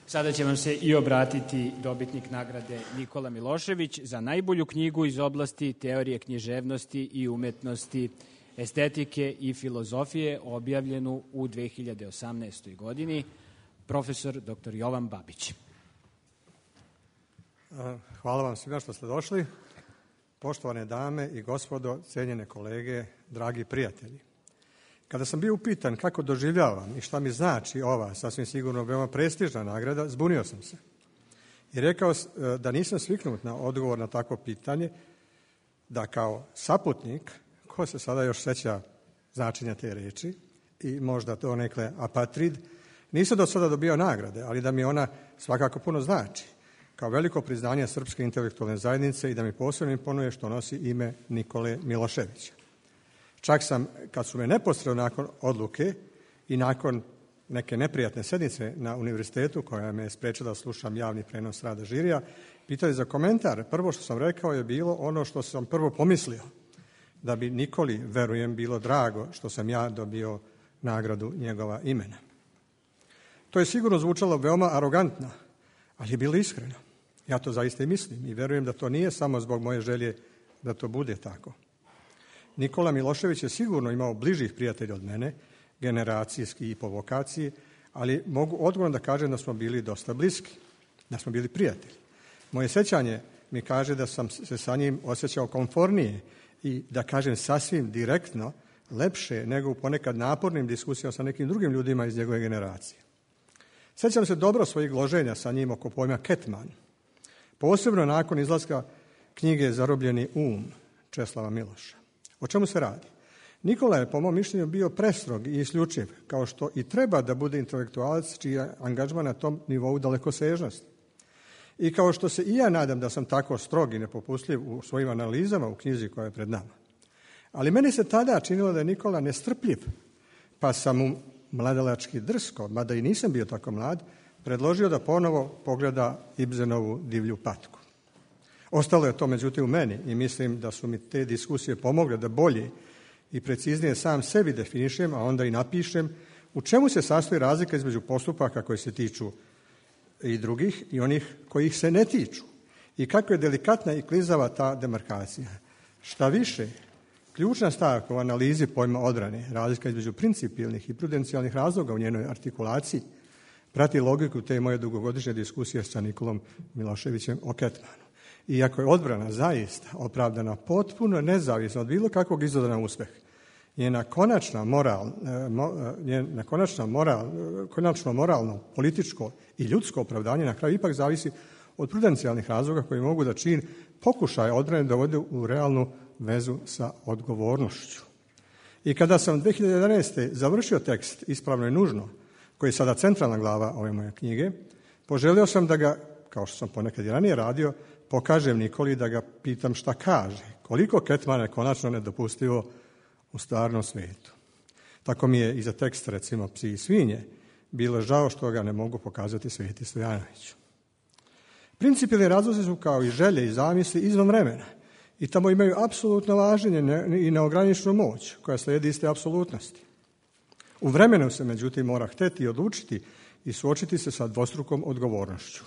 Sada će vam se i obratiti dobitnik nagrade Nikola Milošević za najbolju knjigu iz oblasti teorije književnosti i umetnosti, estetike i filozofije, objavljenu u dve hiljade osamnaestoj. godini, profesor doktor Jovan Babić. Hvala vam svima što ste došli. Poštovane dame i gospodo, cenjene kolege, dragi prijatelji. Kada sam bio upitan kako doživljavam i šta mi znači ova, sasvim sigurno veoma prestižna nagrada, zbunio sam se. I rekao da nisam sviknut na odgovor na takvo pitanje, da kao saputnik, ko se sada još seća značenja te reči i možda to nekle apatrid, nisam do sada dobio nagrade, ali da mi ona svakako puno znači, kao veliko priznanje srpske intelektualne zajednice i da mi posebno imponuje što nosi ime Nikole Miloševića. Čak sam, kad su me neposredno nakon odluke i nakon neke neprijatne sednice na univerzitetu, koja me je sprečila da slušam javni prenos rada žirija, pitali za komentar. Prvo što sam rekao je bilo ono što sam prvo pomislio, da bi Nikoli, verujem, bilo drago što sam ja dobio nagradu njegova imena. To je sigurno zvučalo veoma arogantno, ali je bilo iskreno. Ja to zaista i mislim i verujem da to nije samo zbog moje želje da to bude tako. Nikola Milošević je sigurno imao bližih prijatelja od mene, generacijski i po vokaciji, ali mogu odgovorno da kažem da smo bili dosta bliski, da smo bili prijatelji. Moje sećanje mi kaže da sam se sa njim osjećao komfornije i da kažem sasvim direktno, lepše nego u ponekad napornim diskusijama sa nekim drugim ljudima iz njegove generacije. Sećam se dobro svojih gloženja sa njim oko pojma Ketman, posebno nakon izlaska knjige Zarobljeni um Česlava Miloša. O čemu se radi? Nikola je, po mom mišljenju, bio prestrog i isključiv, kao što i treba da bude intelektualac čiji je angažman na tom nivou dalekosežnosti. I kao što se i ja nadam da sam tako strog i nepopustljiv u svojim analizama u knjizi koja je pred nama. Ali meni se tada činilo da je Nikola nestrpljiv, pa sam mu mladalački drsko, mada i nisam bio tako mlad, predložio da ponovo pogleda Ibsenovu Divlju patku. Ostalo je to međutim u meni i mislim da su mi te diskusije pomogle da bolje i preciznije sam sebi definišem, a onda i napišem u čemu se sastoji razlika između postupaka koji se tiču i drugih i onih kojih se ne tiču i kako je delikatna i klizava ta demarkacija. Šta više, ključna stavka u analizi pojma odbrane, razlika između principijelnih i prudencijalnih razloga u njenoj artikulaciji, prati logiku te moje dugogodišnje diskusije sa Nikolom Miloševićem o Ketmanu. Iako je odbrana zaista opravdana potpuno nezavisno od bilo kakvog izgleda na uspeh, njena konačna moral, njena konačna moral, konačno moralno, političko i ljudsko opravdanje na kraju ipak zavisi od prudencijalnih razloga koji mogu da čin pokušaja odbrane dovode u realnu vezu sa odgovornošću. I kada sam dve hiljade jedanaeste. završio tekst Ispravno i nužno, koji je sada centralna glava ove moje knjige, poželio sam da ga, kao što sam ponekad i ranije radio, pokažem Nikoli, da ga pitam šta kaže, koliko Ketmana je konačno nedopustivo u stvarnom svijetu. Tako mi je i za tekst, recimo, Psi i svinje, bilo žao što ga ne mogu pokazati Sveti Stojanoviću. Principijelni razlozi su kao i želje i zamisli izvan vremena i tamo imaju apsolutno važenje i neograničenu moć koja slijedi iste apsolutnosti. U vremenu se, međutim, mora hteti i odlučiti i suočiti se sa dvostrukom odgovornošću.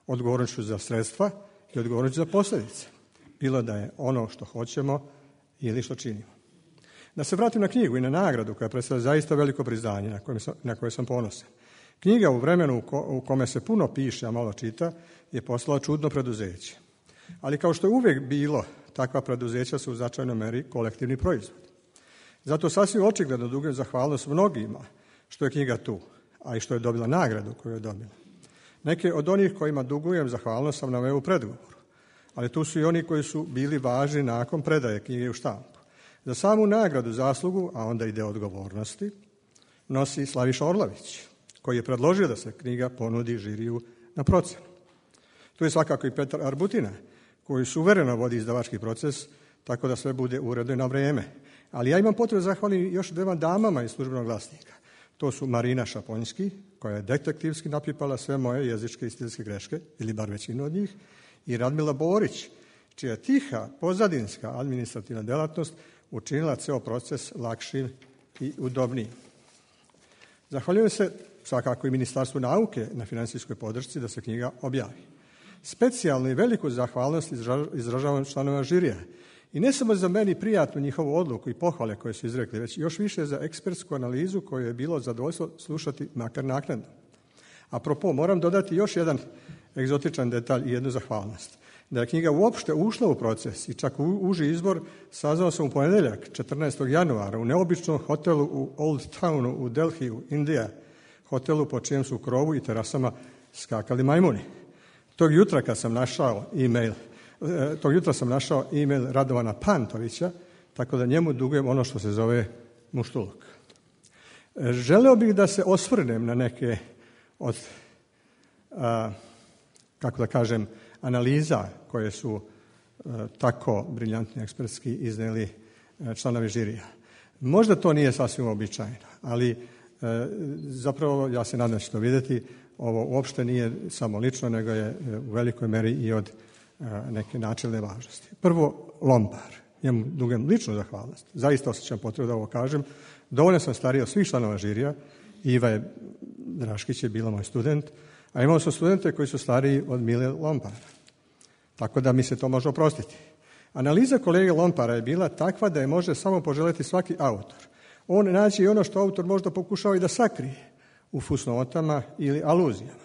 Odgovornošću za sredstva i odgovornošću za posljedice. Bilo da je ono što hoćemo ili što činimo. Da se vratim na knjigu i na nagradu koja predstavlja zaista veliko priznanje na koje sam, na koje sam ponosan. Knjiga u vremenu u, ko, u kome se puno piše, a malo čita, je postala čudno preduzeće. Ali kao što je uvijek bilo, takva preduzeća su u značajnoj meri kolektivni proizvod. Zato sasvim očigledno dugujem zahvalnost mnogima što je knjiga tu, a i što je dobila nagradu koju je dobila. Neke od onih kojima dugujem zahvalnost sam naveo u predgovoru, ali tu su i oni koji su bili važni nakon predaje knjige u štampu. Za samu nagradu, zaslugu, a onda i deo odgovornosti, nosi Slaviša Orlović, koji je predložio da se knjiga ponudi žiriju na procenu. Tu je svakako i Petar Arbutina, koji suvereno vodi izdavački proces, tako da sve bude uredno i na vrijeme. Ali ja imam potrebu zahvalim još dvema damama iz Službenog glasnika. To su Marina Šaponjski, koja je detektivski napipala sve moje jezičke i stilske greške, ili bar većinu od njih, i Radmila Borić, čija tiha, pozadinska administrativna delatnost učinila ceo proces lakšim i udobnijim. Zahvaljujem se svakako i Ministarstvu nauke na finansijskoj podršci da se knjiga objavi. Specijalnu i veliku zahvalnost izražavam članova žirija. I ne samo za meni prijatnu njihovu odluku i pohvale koje su izrekli, već još više za ekspertsku analizu koju je bilo zadovoljstvo slušati makar naknadno. Apropo, moram dodati još jedan egzotičan detalj i jednu zahvalnost. Da je knjiga uopšte ušla u proces i čak u uži izbor sazvao sam u ponedjeljak, četrnaestog januara, u neobičnom hotelu u Old Townu u Delhiju, Indija, hotelu po čijem su krovu i terasama skakali majmuni. Tog jutra kad sam našao e-mail, tog jutra sam našao e-mail Radovana Pantovića, tako da njemu dugujem ono što se zove muštuluk. Želeo bih da se osvrnem na neke od, a, kako da kažem, analiza koje su a, tako briljantni ekspertski izneli a, članovi žirija. Možda to nije sasvim uobičajeno, ali a, zapravo ja se nadam da će to vidjeti. Ovo uopšte nije samo lično, nego je u velikoj meri i od a, neke načelne važnosti. Prvo, Lompar. Njemu dugujem ličnu zahvalnost. Zaista osjećam potrebu da ovo kažem. Dovoljno sam stariji od svih članova žirija. Iva je, Draškić je bila moj student, a imao sam studente koji su stariji od Mile Lompara. Tako da mi se to može oprostiti. Analiza kolege Lompara je bila takva da je može samo poželjeti svaki autor. On naći i ono što autor možda pokušava i da sakrije u fusnotama ili aluzijama.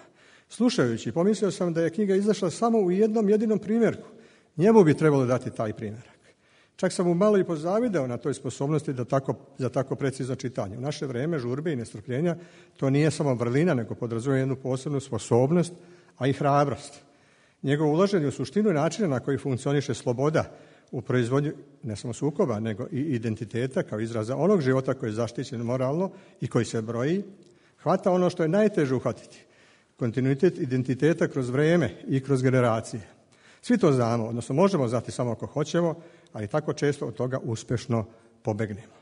Slušajući, pomislio sam da je knjiga izašla samo u jednom jedinom primjerku. Njemu bi trebalo dati taj primjerak. Čak sam mu malo i pozavideo na toj sposobnosti da tako, za tako precizno čitanje. U naše vrijeme žurbe i nestrpljenja to nije samo vrlina, nego podrazumijeva jednu posebnu sposobnost, a i hrabrost. Njegovo ulaženje u suštinu načina na koji funkcioniše sloboda u proizvodnju ne samo sukoba, nego i identiteta kao izraza onog života koji je zaštićen moralno i koji se broji, hvata ono što je najteže uhvatiti. Kontinuitet identiteta kroz vrijeme i kroz generacije. Svi to znamo, odnosno možemo znati samo ako hoćemo, ali tako često od toga uspješno pobegnemo.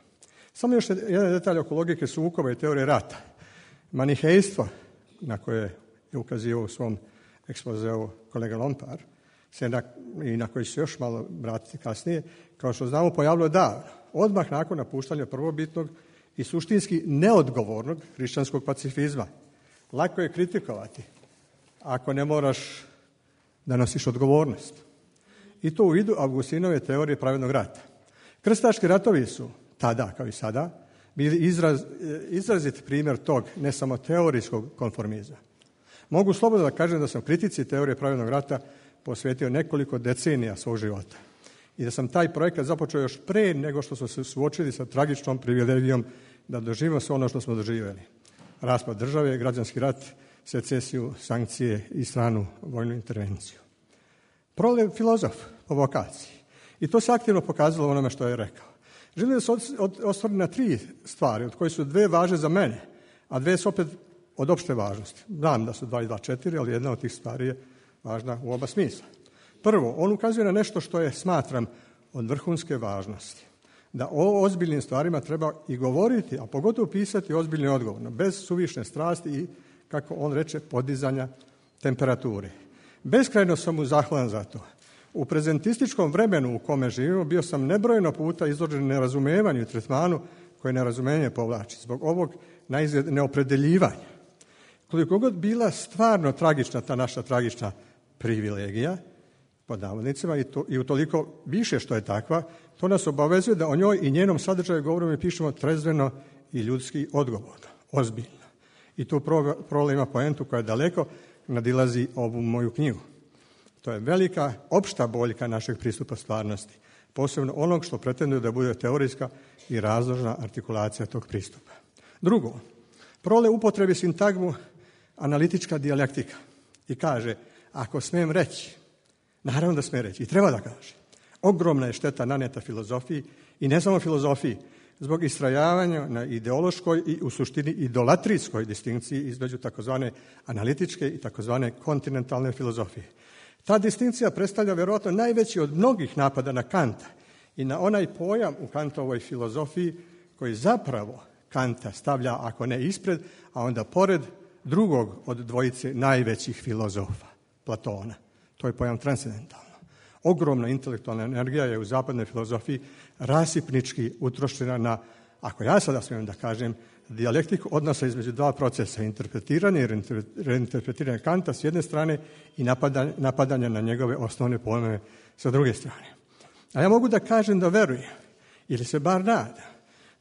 Samo još jedan detalj oko logike sukoba i teorije rata. Manihejstvo, na koje je ukazivao u svom ekspozeu kolega Lompar, se na, i na koji će se još malo vratiti kasnije, kao što znamo pojavilo davno, odmah nakon napuštanja prvobitnog i suštinski neodgovornog hrišćanskog pacifizma. Lako je kritikovati ako ne moraš da nosiš odgovornost. I to u vidu Augustinove teorije pravednog rata. Krstaški ratovi su tada, kao i sada, bili izraz, izrazit primjer tog ne samo teorijskog konformizma. Mogu slobodno da kažem da sam kritici teorije pravednog rata posvetio nekoliko decenija svog života. I da sam taj projekat započeo još pre nego što smo se suočili sa tragičnom privilegijom da doživimo sve ono što smo doživjeli. Raspad države, građanski rat, secesiju, sankcije i stranu vojnu intervenciju. Prole je filozof po vokaciji i to se aktivno pokazalo u onome što je rekao. Želim da se osvrnem na tri stvari, od koje su dve važne za mene, a dve su opet od opšte važnosti. Znam da su dva i dva četiri, ali jedna od tih stvari je važna u oba smisla. Prvo, on ukazuje na nešto što je, smatram, od vrhunske važnosti. Da o ozbiljnim stvarima treba i govoriti, a pogotovo pisati ozbiljno i odgovorno, bez suvišne strasti i, kako on reče, podizanja temperature. Beskrajno sam mu zahvalan za to. U prezentističkom vremenu u kome živimo bio sam nebrojeno puta izložen nerazumevanju i tretmanu koje nerazumenje povlači. Zbog ovog naizgled neopredeljivanja. Koliko god bila stvarno tragična ta naša tragična privilegija, pod navodnicima, i, to, i utoliko više što je takva, to nas obavezuje da o njoj i njenom sadržaju govorimo i pišemo trezveno i ljudski odgovorno, ozbiljno. I tu Prole ima poentu koja daleko nadilazi ovu moju knjigu. To je velika opšta boljka našeg pristupa stvarnosti, posebno onog što pretenduje da bude teorijska i razložna artikulacija tog pristupa. Drugo, Prole upotrebi sintagmu analitička dijalektika i kaže, ako smijem reći, naravno da smije reći i treba da kaže, ogromna je šteta naneta filozofiji i ne samo filozofiji, zbog istrajavanja na ideološkoj i u suštini idolatrijskoj distinkciji između takozvane analitičke i takozvane kontinentalne filozofije. Ta distinkcija predstavlja vjerojatno najveći od mnogih napada na Kanta i na onaj pojam u Kantovoj filozofiji koji zapravo Kanta stavlja, ako ne ispred, a onda pored drugog od dvojice najvećih filozofa, Platona. To je pojam transcendentalno. Ogromna intelektualna energija je u zapadnoj filozofiji rasipnički utrošena na, ako ja sada smijem da kažem, dijalektiku odnosa između dva procesa, interpretiranja i reinterpretiranja Kanta s jedne strane i napadanja, napadanja na njegove osnovne pojmove sa druge strane. A ja mogu da kažem da verujem, ili se bar nada,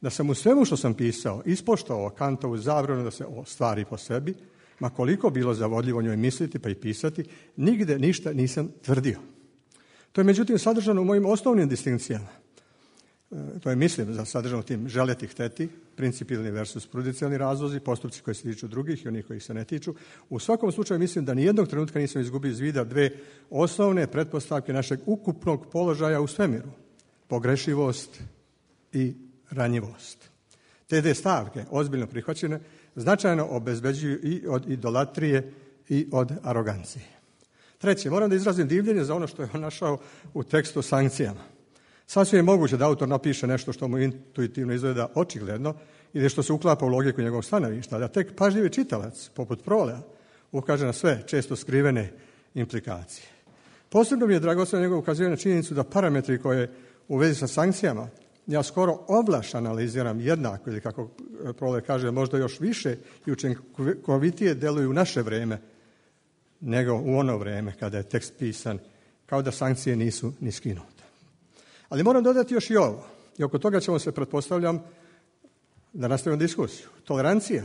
da sam u svemu što sam pisao ispoštovao Kantovu zabranu da se ostvari po sebi, ma koliko bilo zavodljivo njoj misliti pa i pisati, nigde ništa nisam tvrdio. To je međutim sadržano u mojim osnovnim distinkcijama. To je, mislim, za sadržano tim želeti, hteti, principijelni versus prudencijalni razlozi, postupci koji se tiču drugih i onih koji se ne tiču. U svakom slučaju mislim da nijednog trenutka nisam izgubio iz vida dve osnovne pretpostavke našeg ukupnog položaja u svemiru. Pogrešivost i ranjivost. Te dve stavke, ozbiljno prihvaćene, značajno obezbeđuju i od idolatrije i od arogancije. Treće, moram da izrazim divljenje za ono što je on našao u tekstu o sankcijama. Sasvim je moguće da autor napiše nešto što mu intuitivno izgleda očigledno ili što se uklapa u logiku njegovog stanovišta, da tek pažljivi čitalac, poput Prolea, ukaže na sve često skrivene implikacije. Posebno mi je dragoceno njegovo ukazivanje na činjenicu da parametri koje u vezi sa sankcijama ja skoro ovlaš analiziram jednako ili kako Prole kaže možda još više i učinkovitije deluju u naše vreme nego u ono vreme kada je tekst pisan, kao da sankcije nisu ni skinute. Ali moram dodati još i ovo, i oko toga ćemo se, pretpostavljam, da nastavimo diskusiju. Tolerancija,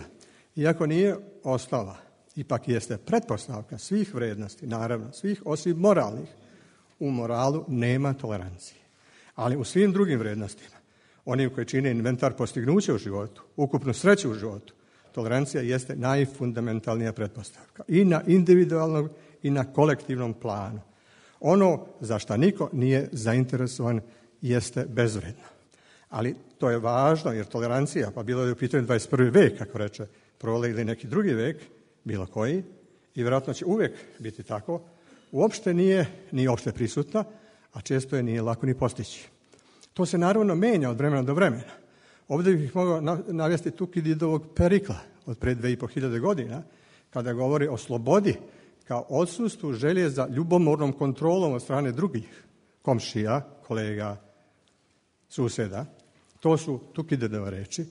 iako nije osnova, ipak jeste pretpostavka svih vrednosti, naravno, svih osim moralnih. U moralu nema tolerancije. Ali u svim drugim vrednostima, onim koji čine inventar postignuća u životu, ukupnu sreću u životu, tolerancija jeste najfundamentalnija pretpostavka. I na individualnom i na kolektivnom planu. Ono za šta niko nije zainteresovan jeste bezvredno. Ali to je važno jer tolerancija, pa bilo je u pitanju dvadeset prvi vek, kako reče Prole, ili neki drugi vek, bilo koji, i vjerojatno će uvijek biti tako, uopšte nije ni opšte prisutna, a često je nije lako ni postići. To se naravno menja od vremena do vremena. Ovdje bih mogao navesti Tukididovog Perikla od pre dve i po hiljade godina, kada govori o slobodi kao odsustvu želje za ljubomornom kontrolom od strane drugih komšija, kolega, suseda. To su Tukididove reči,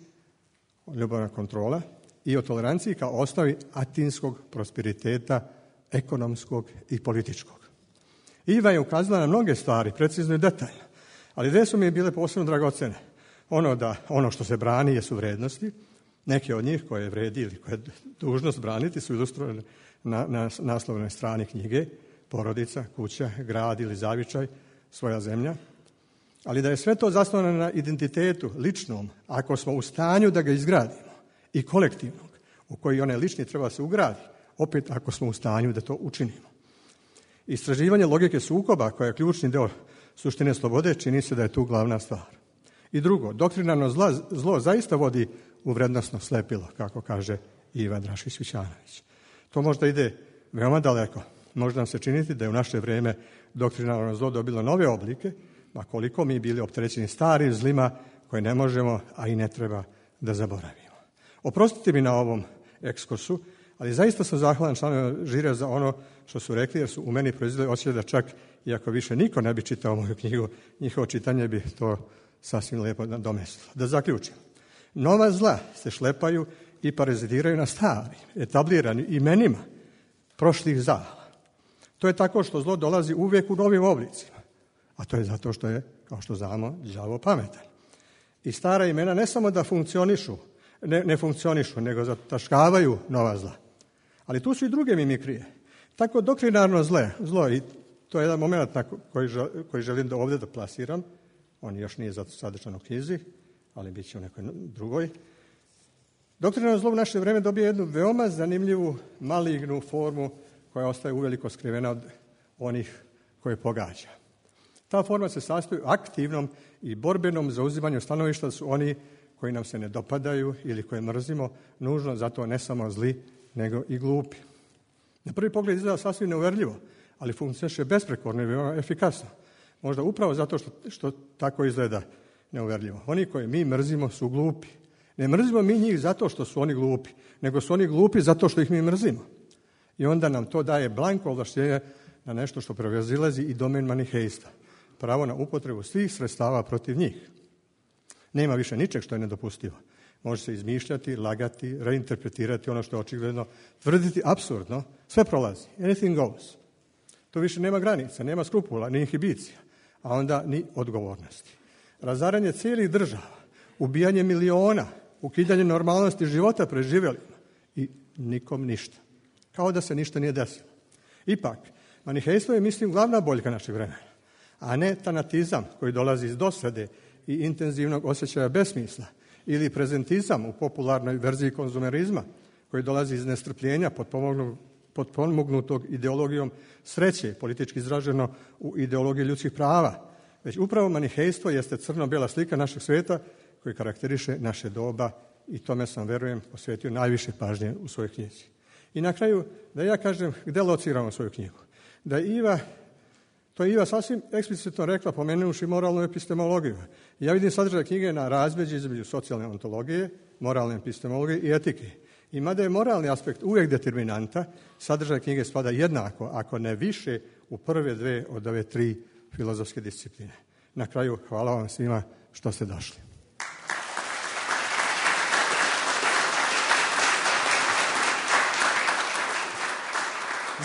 ljubomorna kontrola i o toleranciji kao osnovi atinskog prosperiteta, ekonomskog i političkog. Iva je ukazala na mnoge stvari, precizno i detaljno, ali dve su mi bile posebno dragocene. Ono, da, ono što se brani jesu vrednosti, neke od njih koje vredi ili koje je dužnost braniti su ilustrovane na, na naslovnoj strani knjige, porodica, kuća, grad ili zavičaj, svoja zemlja, ali da je sve to zasnovano na identitetu ličnom, ako smo u stanju da ga izgradimo, i kolektivnog, u koji onaj lični treba se ugradi, opet ako smo u stanju da to učinimo. Istraživanje logike sukoba, koja je ključni deo suštine slobode, čini se da je tu glavna stvar. I drugo, doktrinarno zlo, zlo zaista vodi u vrednosno slepilo, kako kaže Iva Drašić-Vićanović. To možda ide veoma daleko. Možda nam se činiti da je u naše vrijeme doktrinarno zlo dobilo nove oblike, a koliko mi bili opterećeni starim zlima koje ne možemo, a i ne treba da zaboravimo. Oprostite mi na ovom ekskursu, ali zaista sam zahvalan članovima žirija za ono što su rekli, jer su u meni proizveli osjećaj da čak, iako više niko ne bi čitao moju knjigu, njihovo čitanje bi to sasvim lijepo nadomestilo. Da zaključim. Nova zla se šlepaju i parazitiraju na starim, etabliranim imenima prošlih zala. To je tako što zlo dolazi uvijek u novim oblicima, a to je zato što je, kao što znamo, đavo pametan. I stara imena ne samo da funkcionišu, ne, ne funkcionišu, nego zataškavaju nova zla. Ali tu su i druge mimikrije. Tako doktrinarno zle, zlo, i to je jedan moment na koji, koji želim da ovdje da plasiram, on još nije sadržan u knjizi, ali bit će u nekoj drugoj. Doktrinarno zlo u naše vrijeme dobije jednu veoma zanimljivu, malignu formu koja ostaje uveliko skrivena od onih koje pogađa. Ta forma se sastoji u aktivnom i borbenom zauzimanju stanovišta da su oni koji nam se ne dopadaju ili koje mrzimo, nužno zato ne samo zli, nego i glupi. Na prvi pogled izgleda sasvim neuverljivo, ali funkcioniše besprekorno i veoma efikasno. Možda upravo zato što, što tako izgleda neuverljivo. Oni koje mi mrzimo su glupi. Ne mrzimo mi njih zato što su oni glupi, nego su oni glupi zato što ih mi mrzimo. I onda nam to daje blanko ovlaštenje na nešto što prevazilazi i domen manihejstva. Pravo na upotrebu svih sredstava protiv njih. Nema više ničeg što je nedopustivo. Može se izmišljati, lagati, reinterpretirati ono što je očigledno, tvrditi apsurdno, sve prolazi. Anything goes. To više nema granica, nema skrupula, ni inhibicija, a onda ni odgovornosti. Razaranje cijelih država, ubijanje miliona, ukidanje normalnosti života preživjelima i nikom ništa. Kao da se ništa nije desilo. Ipak, manihejstvo je, mislim, glavna boljka našeg vremena, a ne tanatizam koji dolazi iz dosade i intenzivnog osjećaja besmisla, ili prezentizam u popularnoj verziji konzumerizma koji dolazi iz nestrpljenja potpomognutog ideologijom sreće, politički izraženo u ideologiji ljudskih prava. Već upravo manihejstvo jeste crno-bijela slika našeg svijeta koji karakteriše naše doba i tome sam, verujem, posvetio najviše pažnje u svojoj knjizi. I na kraju, da ja kažem gde lociramo svoju knjigu. Da Iva, to je Iva sasvim eksplicitno rekla, pomenuši moralnu epistemologiju. Ja vidim sadržaj knjige na razmeđi između socijalne ontologije, moralne epistemologije i etike. I mada je moralni aspekt uvijek determinanta, sadržaj knjige spada jednako, ako ne više, u prve dve od ove tri filozofske discipline. Na kraju, hvala vam svima što ste došli.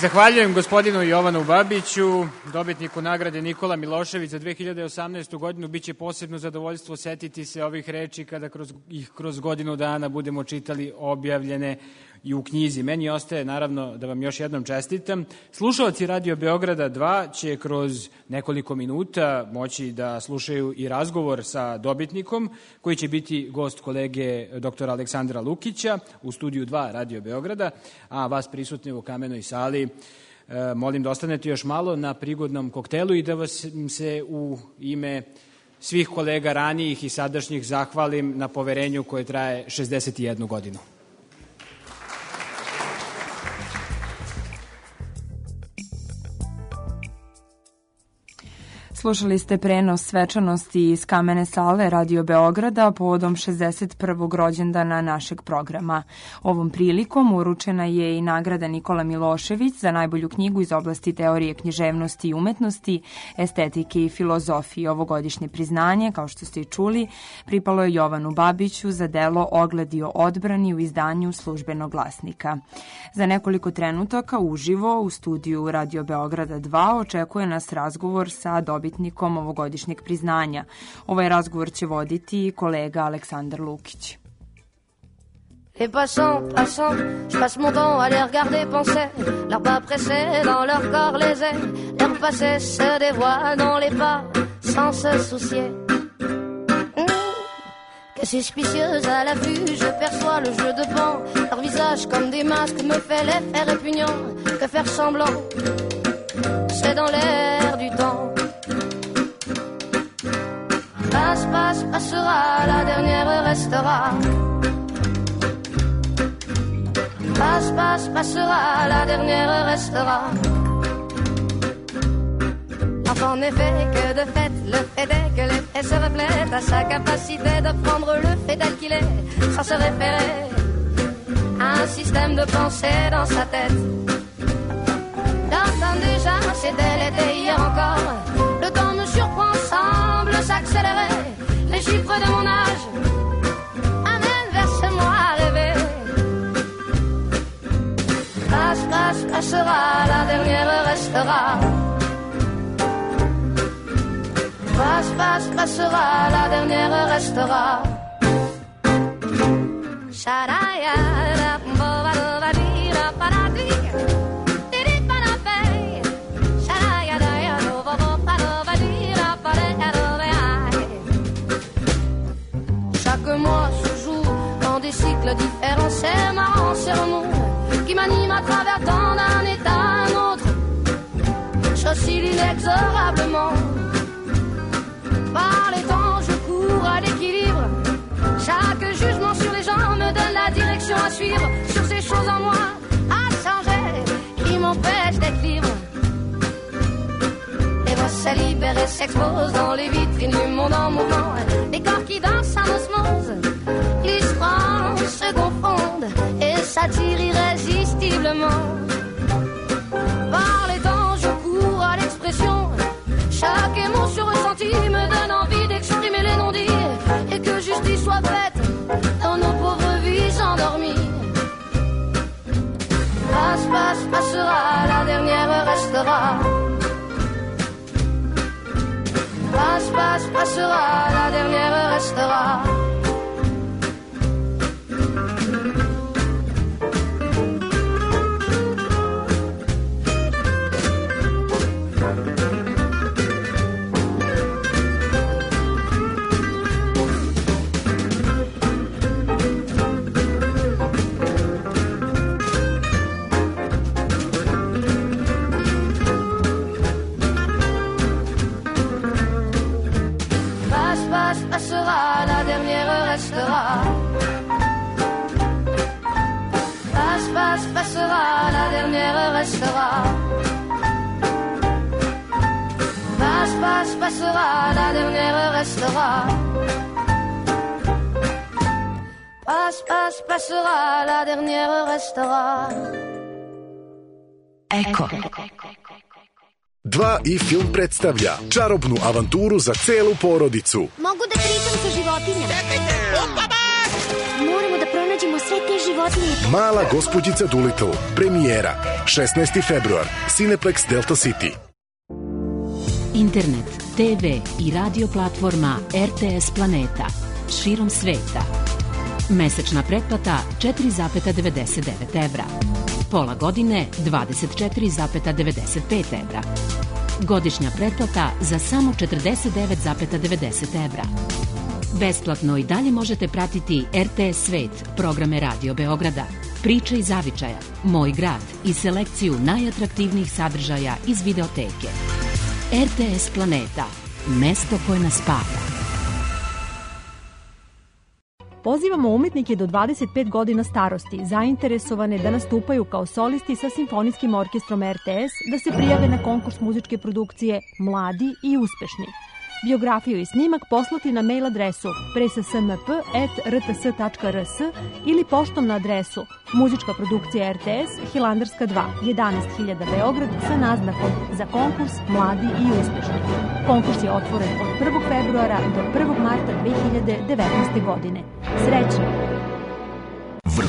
Zahvaljujem gospodinu Jovanu Babiću, dobitniku nagrade Nikola Milošević za dve hiljade osamnaestu godinu. Biće posebno zadovoljstvo setiti se ovih reči kada kroz, ih kroz godinu dana budemo čitali objavljene i u knjizi. Meni ostaje, naravno, da vam još jednom čestitam. Slušalci Radio Beograda dva će kroz nekoliko minuta moći da slušaju i razgovor sa dobitnikom, koji će biti gost kolege doktora Aleksandra Lukića u studiju dva Radio Beograda, a vas prisutni u Kamenoj sali e, molim da ostanete još malo na prigodnom koktelu i da vas se u ime svih kolega ranijih i sadašnjih zahvalim na poverenju koje traje šezdeset jednu godinu. Slušali ste prenos svečanosti iz Kamene sale Radio Beograda povodom šezdeset prvog rođendana našeg programa. Ovom prilikom uručena je i nagrada Nikola Milošević za najbolju knjigu iz oblasti teorije književnosti i umetnosti, estetike i filozofije. Ovogodišnje priznanje, kao što ste i čuli, pripalo je Jovanu Babiću za delo Ogledi o odbrani u izdanju Službenog glasnika. Za nekoliko trenutaka uživo u studiju Radio Beograda dva očekuje nas razgovor sa dobitnikom ovogodišnjeg priznanja. Ovaj razgovor će voditi kolega Aleksandar Lukić. Les passants, passants, je passe mon temps à les regarder penser, leurs pas pressés dans leur corps les ailes, leur passé se dévoile dans les pas sans se soucier. Mmh. que suspicieuse à la vue, je perçois le jeu de pan. Leur visage comme des masques me fait l'effet répugnant. Que faire semblant, c'est dans l'air du temps. Passe, passe, passera, la dernière restera. Passe, passe, passera, la dernière restera. En effet, que de fait, le fait est que l'effet se reflète à sa capacité de prendre le fait tel qu'il est, sans se référer à un système de pensée dans sa tête. J'entends déjà, c'était l'été hier encore, le temps me surprend, semble s'accélérer, les chiffres de mon âge amènent vers ce moi à rêver. Passe, passe, passera, la dernière restera. Passe, passe, passera, la dernière restera. Chaque mois se joue dans des cycles différents, c'est marrant, c'est remous qui m'anime à travers tant d'un état à un autre. J'oscille inexorablement. Par les temps, je cours à l'équilibre. Chaque jugement sur les gens me donne la direction à suivre. Sur ces choses en moi à changer qui m'empêchent d'être libre. Les voix se libèrent et s'exposent dans les vitrines du monde en mouvement. Les corps qui dansent en osmose, ils se prennent, se confondent et s'attirent irrésistiblement. Par les temps, je cours à l'expression. Chaque émotion ressentie me donne envie d'exprimer les non-dits et que justice soit faite dans nos pauvres vies endormies. Passe, passe, passera, la dernière restera. Passe, passe, passera, la dernière restera. Passera, la dernière restera. Passe, passe, passera, la dernière restera. Passe, passe, passera, la dernière restera. Passe, passe, passera, la dernière restera. Eko. Dva i film predstavlja čarobnu avanturu za celu porodicu. Mogu da pričam sa životinjama. Moramo da pronađemo sve te životinje. Mala gospođica Doolittle. Premijera. šesnaesti februar. Cineplex Delta City. Internet, te ve i radio platforma er te es Planeta. Širom sveta. Mesečna pretplata četiri zarez devedeset devet evra. Pola godine dvadeset četiri zarez devedeset pet evra. Godišnja pretplata za samo četrdeset devet zarez devedeset evra. Besplatno i dalje možete pratiti er te es Svet, programe Radio Beograda, Priče iz zavičaja, Moj grad i selekciju najatraktivnijih sadržaja iz videoteke. er te es Planeta, mesto koje nas spaja. Pozivamo umetnike do dvadeset pet godina starosti, zainteresovane da nastupaju kao solisti sa Simfonijskim orkestrom er te es, da se prijave na konkurs muzičke produkcije Mladi i uspešni. Biografiju i snimak poslati na mail adresu presasmp at er te es tačka er es ili poštom na adresu Muzička produkcija er te es, Hilandarska dva, jedanaest hiljada Beograd sa naznakom za konkurs Mladi i uspešni. Konkurs je otvoren od prvog februara do prvog marta dve hiljade devetnaeste. godine. Srećno!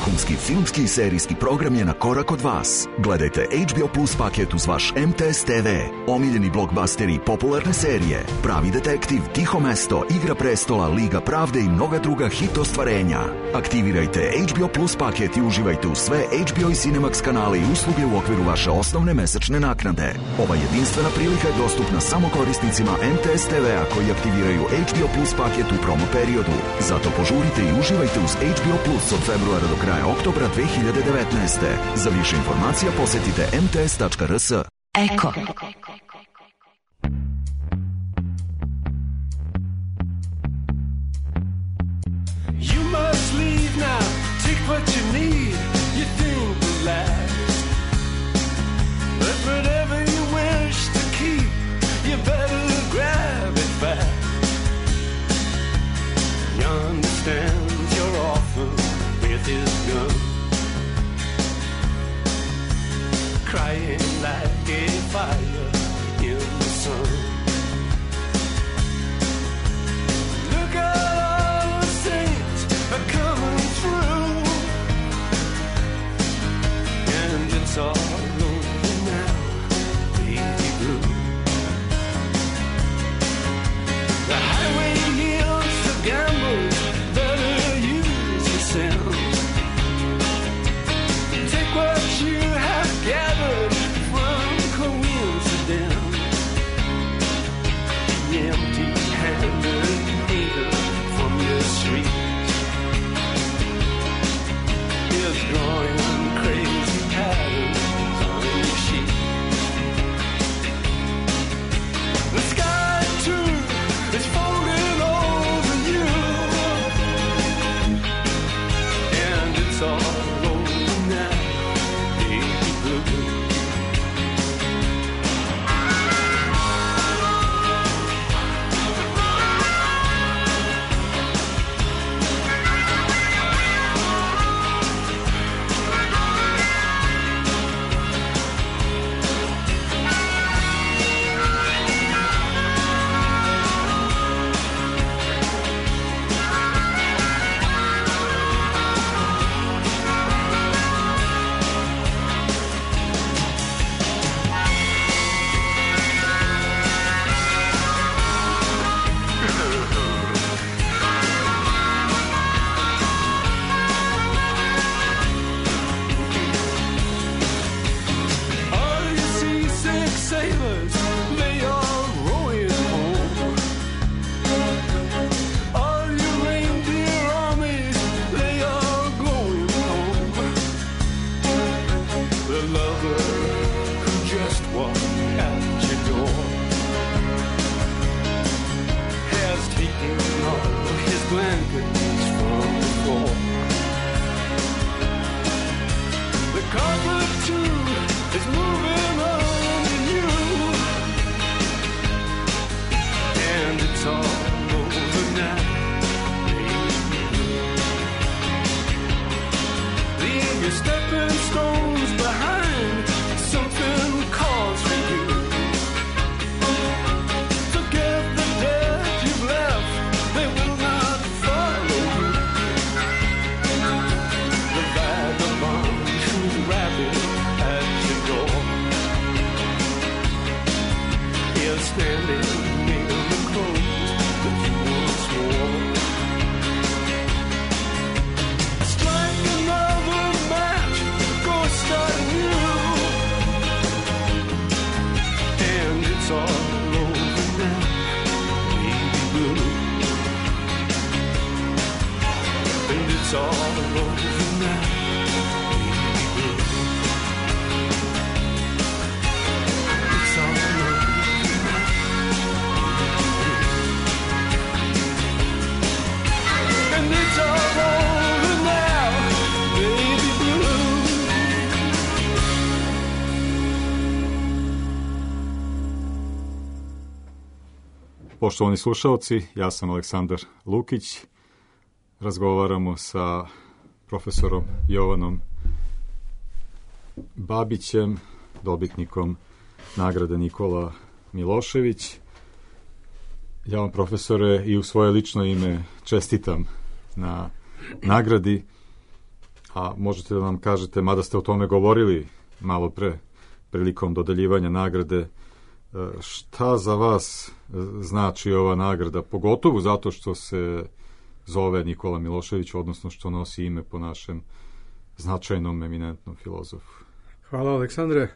Vrhunski filmski i serijski program je na korak od vas. Gledajte H B O Plus paket uz vaš M T S T V. Omiljeni blockbusteri i popularne serije. Pravi detektiv, Tiho mesto, Igra prestola, Liga pravde i mnoga druga hit ostvarenja. Aktivirajte H B O Plus paket i uživajte u sve H B O i Cinemax kanale i usluge u okviru vaše osnovne mesečne naknade. Ova jedinstvena prilika je dostupna samo korisnicima M T S T V-a koji aktiviraju H B O Plus paket u promo periodu. Zato požurite i uživajte uz H B O Plus od februara do kraja oktobra dve hiljade devetnaeste. Za više informacija posetite m t s tačka r s. Eko. You must leave now, take what you need, you think will last. But whatever you wish to keep, you better grab it back. You understand you're orphan with his gun, crying like a fire in the sun. Look at all the saints are coming through, and it's all over now, baby blue. The highway yields to gamblers, better use your sense. Take what you have gathered from coincidence. Empty-handed needle from your streets is drawing crazy patterns on your sheet. The sky too is folding over you, and it's all over now, baby blue. All you seasick sailors, they are rowing home. All you reindeer armies, they are going home. The lover who just walked out your door has taken all his blankets from the floor. The carpet too is moving on to you, and it's all over now, baby. Leave your stepping stones behind, something calls for you. Forget the dead you've left, they will not follow you. The vagabond who's rapping at your door is standing in the clothes that you once wore. Strike another match, go start anew, and it's all over now, baby blue. And it's all over now, baby blue. It's all over now. And it's all over now, baby blue. Poštovani slušalci, ja sam Aleksandar Lukić. Razgovaramo sa profesorom Jovanom Babićem, dobitnikom nagrade Nikola Milošević. Ja vam, profesore, i u svoje lično ime čestitam na nagradi. a možete da nam kažete, mada ste o tome govorili malo pre, prilikom dodeljivanja nagrade, šta za vas znači ova nagrada, pogotovo zato što se zove Nikola Milošević, odnosno što nosi ime po našem značajnom, eminentnom filozofu. Hvala, Aleksandre.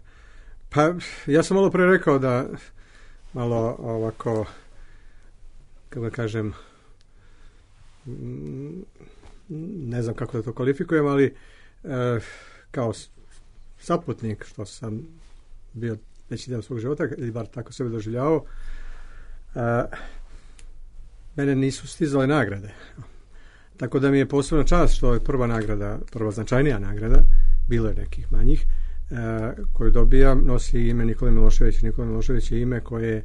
Pa, ja sam malo pre rekao da malo ovako, kako da kažem, ne znam kako da to kvalifikujem, ali e, kao saputnik, što sam bio veći deo svog života, ili bar tako sebe doživljavao, e, mene nisu stizale nagrade. Tako da mi je posebna čast što je prva nagrada, prva značajnija nagrada, bilo je nekih manjih, e, koju dobijam, nosi ime Nikola Milošević. Nikola Milošević je ime koje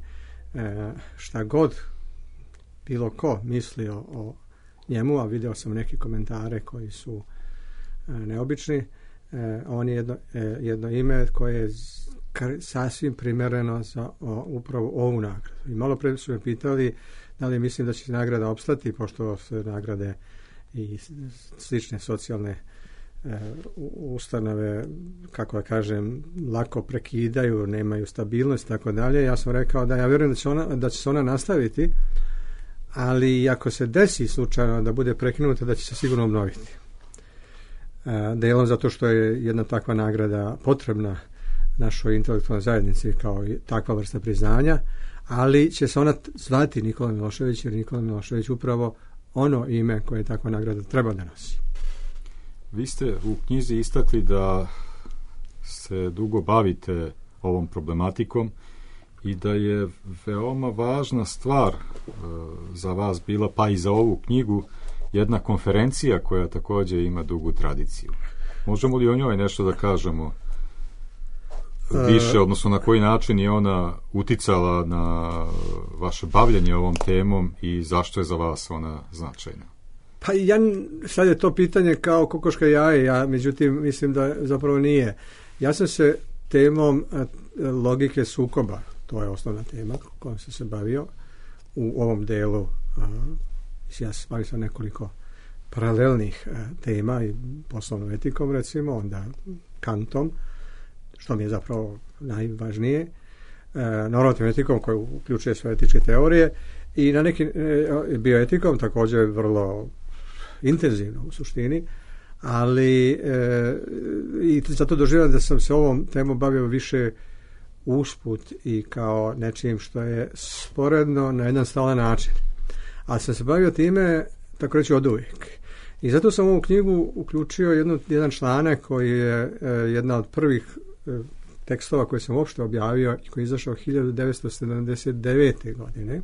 e, šta god bilo ko mislio o njemu, a video sam neke komentare koji su e, neobični, e, on je jedno, e, jedno ime koje je sasvim primereno za o, upravo ovu nagradu. I malo pre su me pitali da li mislim da će nagrada opstati, pošto se nagrade i slične socijalne e, ustanove, kako da kažem, lako prekidaju, nemaju stabilnost i tako dalje. Ja sam rekao da ja vjerujem da će, ona, da će se ona nastaviti, ali ako se desi slučajno da bude prekinuta, da će se sigurno obnoviti. E, delom zato što je jedna takva nagrada potrebna našoj intelektualnoj zajednici kao takva vrsta priznanja, ali će se ona zvati Nikola Milošević, jer Nikola Milošević upravo ono ime koje takva nagrada treba da nosi. Vi ste u knjizi istakli da se dugo bavite ovom problematikom i da je veoma važna stvar e, za vas bila, pa i za ovu knjigu, jedna konferencija koja također ima dugu tradiciju. Možemo li o njoj nešto da kažemo više, odnosno na koji način je ona uticala na vaše bavljanje ovom temom i zašto je za vas ona značajna? Pa ja, sad je to pitanje kao kokoška jaje, ja međutim mislim da zapravo nije. Ja sam se temom logike sukoba, to je osnovna tema kojom sam se bavio u ovom delu. Ja se bavim sa nekoliko paralelnih tema i poslovnom etikom, recimo, onda Kantom, što mi je zapravo najvažnije, e, normativnom etikom koja uključuje sve etičke teorije i na neki e, bioetikom također vrlo intenzivno u suštini, ali e, i zato doživljam da sam se ovom temom bavio više usput i kao nečim što je sporedno na jedan stalan način. A sam se bavio time, tako reći, od uvijek. I zato sam u ovu knjigu uključio jednu, jedan članak koji je e, jedna od prvih tekstova koje sam uopšte objavio i koji je izašao hiljadu devetsto sedamdeset devete. godine.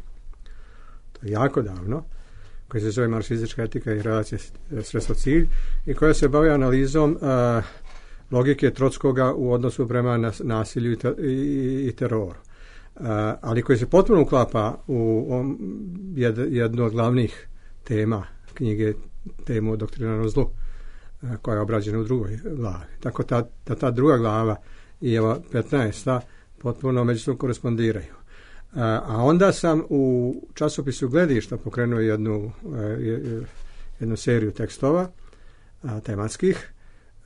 To je jako davno, koji se zove Marksistička etika i relacija sredstvo cilj i koja se bavi analizom a, logike Trotskoga u odnosu prema nas, nasilju i, te, i, i teroru. A, ali koji se potpuno uklapa u um, jed, jednu od glavnih tema knjige, temu o doktrinarnom zlu, koja je obrađena u drugoj glavi. Tako ta, ta, ta druga glava i ova petnaesta potpuno međusobno korespondiraju. A, a onda sam u časopisu Gledišta pokrenuo jednu, jednu seriju tekstova a, tematskih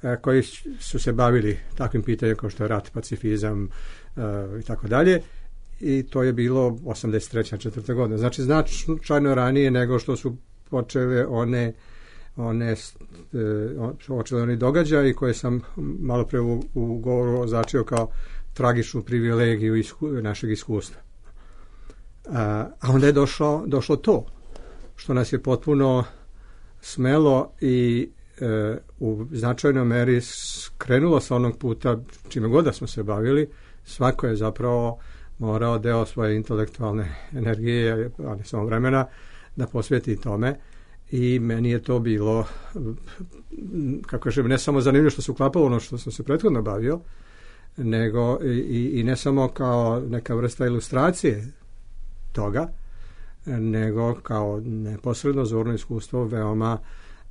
a, koji su se bavili takvim pitanjem kao što je rat, pacifizam a, i tako dalje. I to je bilo osamdeset treće četvrte. godine. Znači značajno ranije nego što su počele one one počeli oni događaji koje sam malo pre u, u govoru označio kao tragičnu privilegiju isku, našeg iskustva. A, a onda je došlo, došlo to što nas je potpuno smelo i e, u značajnoj meri skrenulo sa onog puta čime god da smo se bavili. Svako je zapravo morao deo svoje intelektualne energije, ali samo vremena, da posveti tome. I meni je to bilo, kako kažem, ne samo zanimljivo što se uklapalo ono što sam se prethodno bavio, nego i, i ne samo kao neka vrsta ilustracije toga, nego kao neposredno zorno iskustvo veoma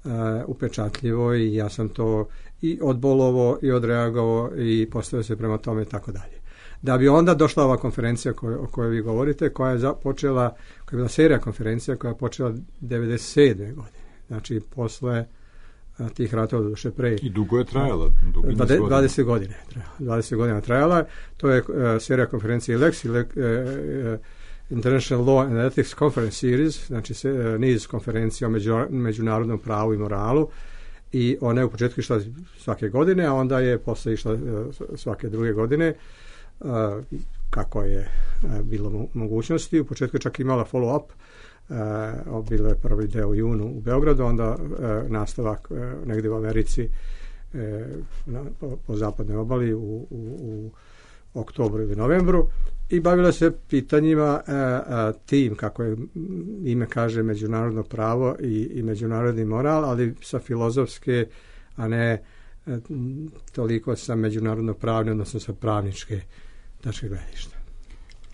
uh, upečatljivo i ja sam to i odbolovo i odreagovao i postavio se prema tome i tako dalje. Da bi onda došla ova konferencija koj, o kojoj vi govorite, koja je počela, koja je bila serija konferencija koja je počela devedeset sedme. godine. Znači, posle tih ratova doduše pre. I dugo je trajala. Dugo dvadeset godine. dvadeset godina trajala. To je uh, serija konferencije Lex, uh, uh, International Law and Ethics Conference Series, znači se, uh, niz konferencija o među, međunarodnom pravu i moralu, i ona je u početku išla svake godine, a onda je posle išla uh, svake druge godine, uh, kako je uh, bilo mo- mogućnosti. U početku je čak imala follow-up. Uh, bilo je prvi deo u junu u Beogradu, onda uh, nastavak uh, negdje u Americi uh, na, po, po zapadnoj obali u, u, u oktobru ili novembru, i bavila se pitanjima uh, uh, tim, kako je ime kaže, međunarodno pravo i, i međunarodni moral, ali sa filozofske, a ne uh, toliko sa međunarodno pravne, odnosno sa pravničke tačke gledišta.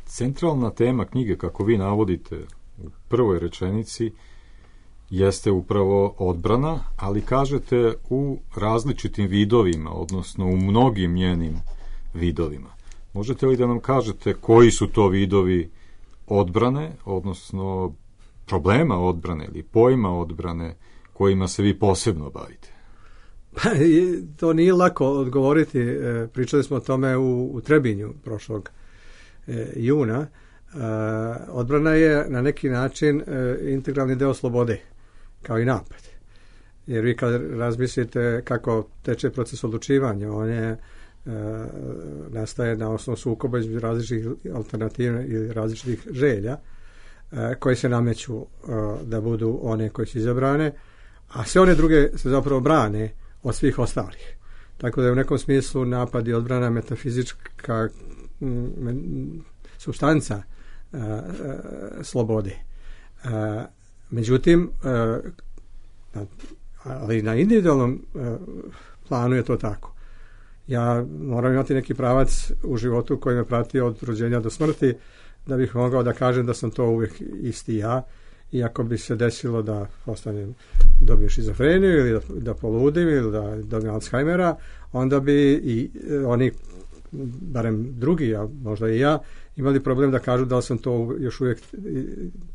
Centralna tema knjige, kako vi navodite u prvoj rečenici, jeste upravo odbrana, ali kažete u različitim vidovima, odnosno u mnogim njenim vidovima. Možete li da nam kažete koji su to vidovi odbrane, odnosno problema odbrane ili pojma odbrane kojima se vi posebno bavite? Pa, to nije lako odgovoriti. Pričali smo o tome u, u Trebinju prošlog e, juna. Uh, odbrana je na neki način uh, integralni deo slobode, kao i napad. Jer vi kad razmislite kako teče proces odlučivanja, on je uh, nastaje na osnovu sukoba između različitih alternativa ili različitih želja uh, koje se nameću uh, da budu one koje su izabrane, a sve one druge se zapravo brane od svih ostalih. Tako da je u nekom smislu napad i odbrana metafizička m, substanca Uh, uh, slobode. Uh, međutim, uh, ali na individualnom uh, planu je to tako. Ja moram imati neki pravac u životu koji me prati od rođenja do smrti, da bih mogao da kažem da sam to uvijek isti ja, i ako bi se desilo da ostanem, dobijem šizofreniju ili da, da poludim ili da dobijem Alzheimera, onda bi i oni, barem drugi, a možda i ja, imali problem da kažu da sam to još uvijek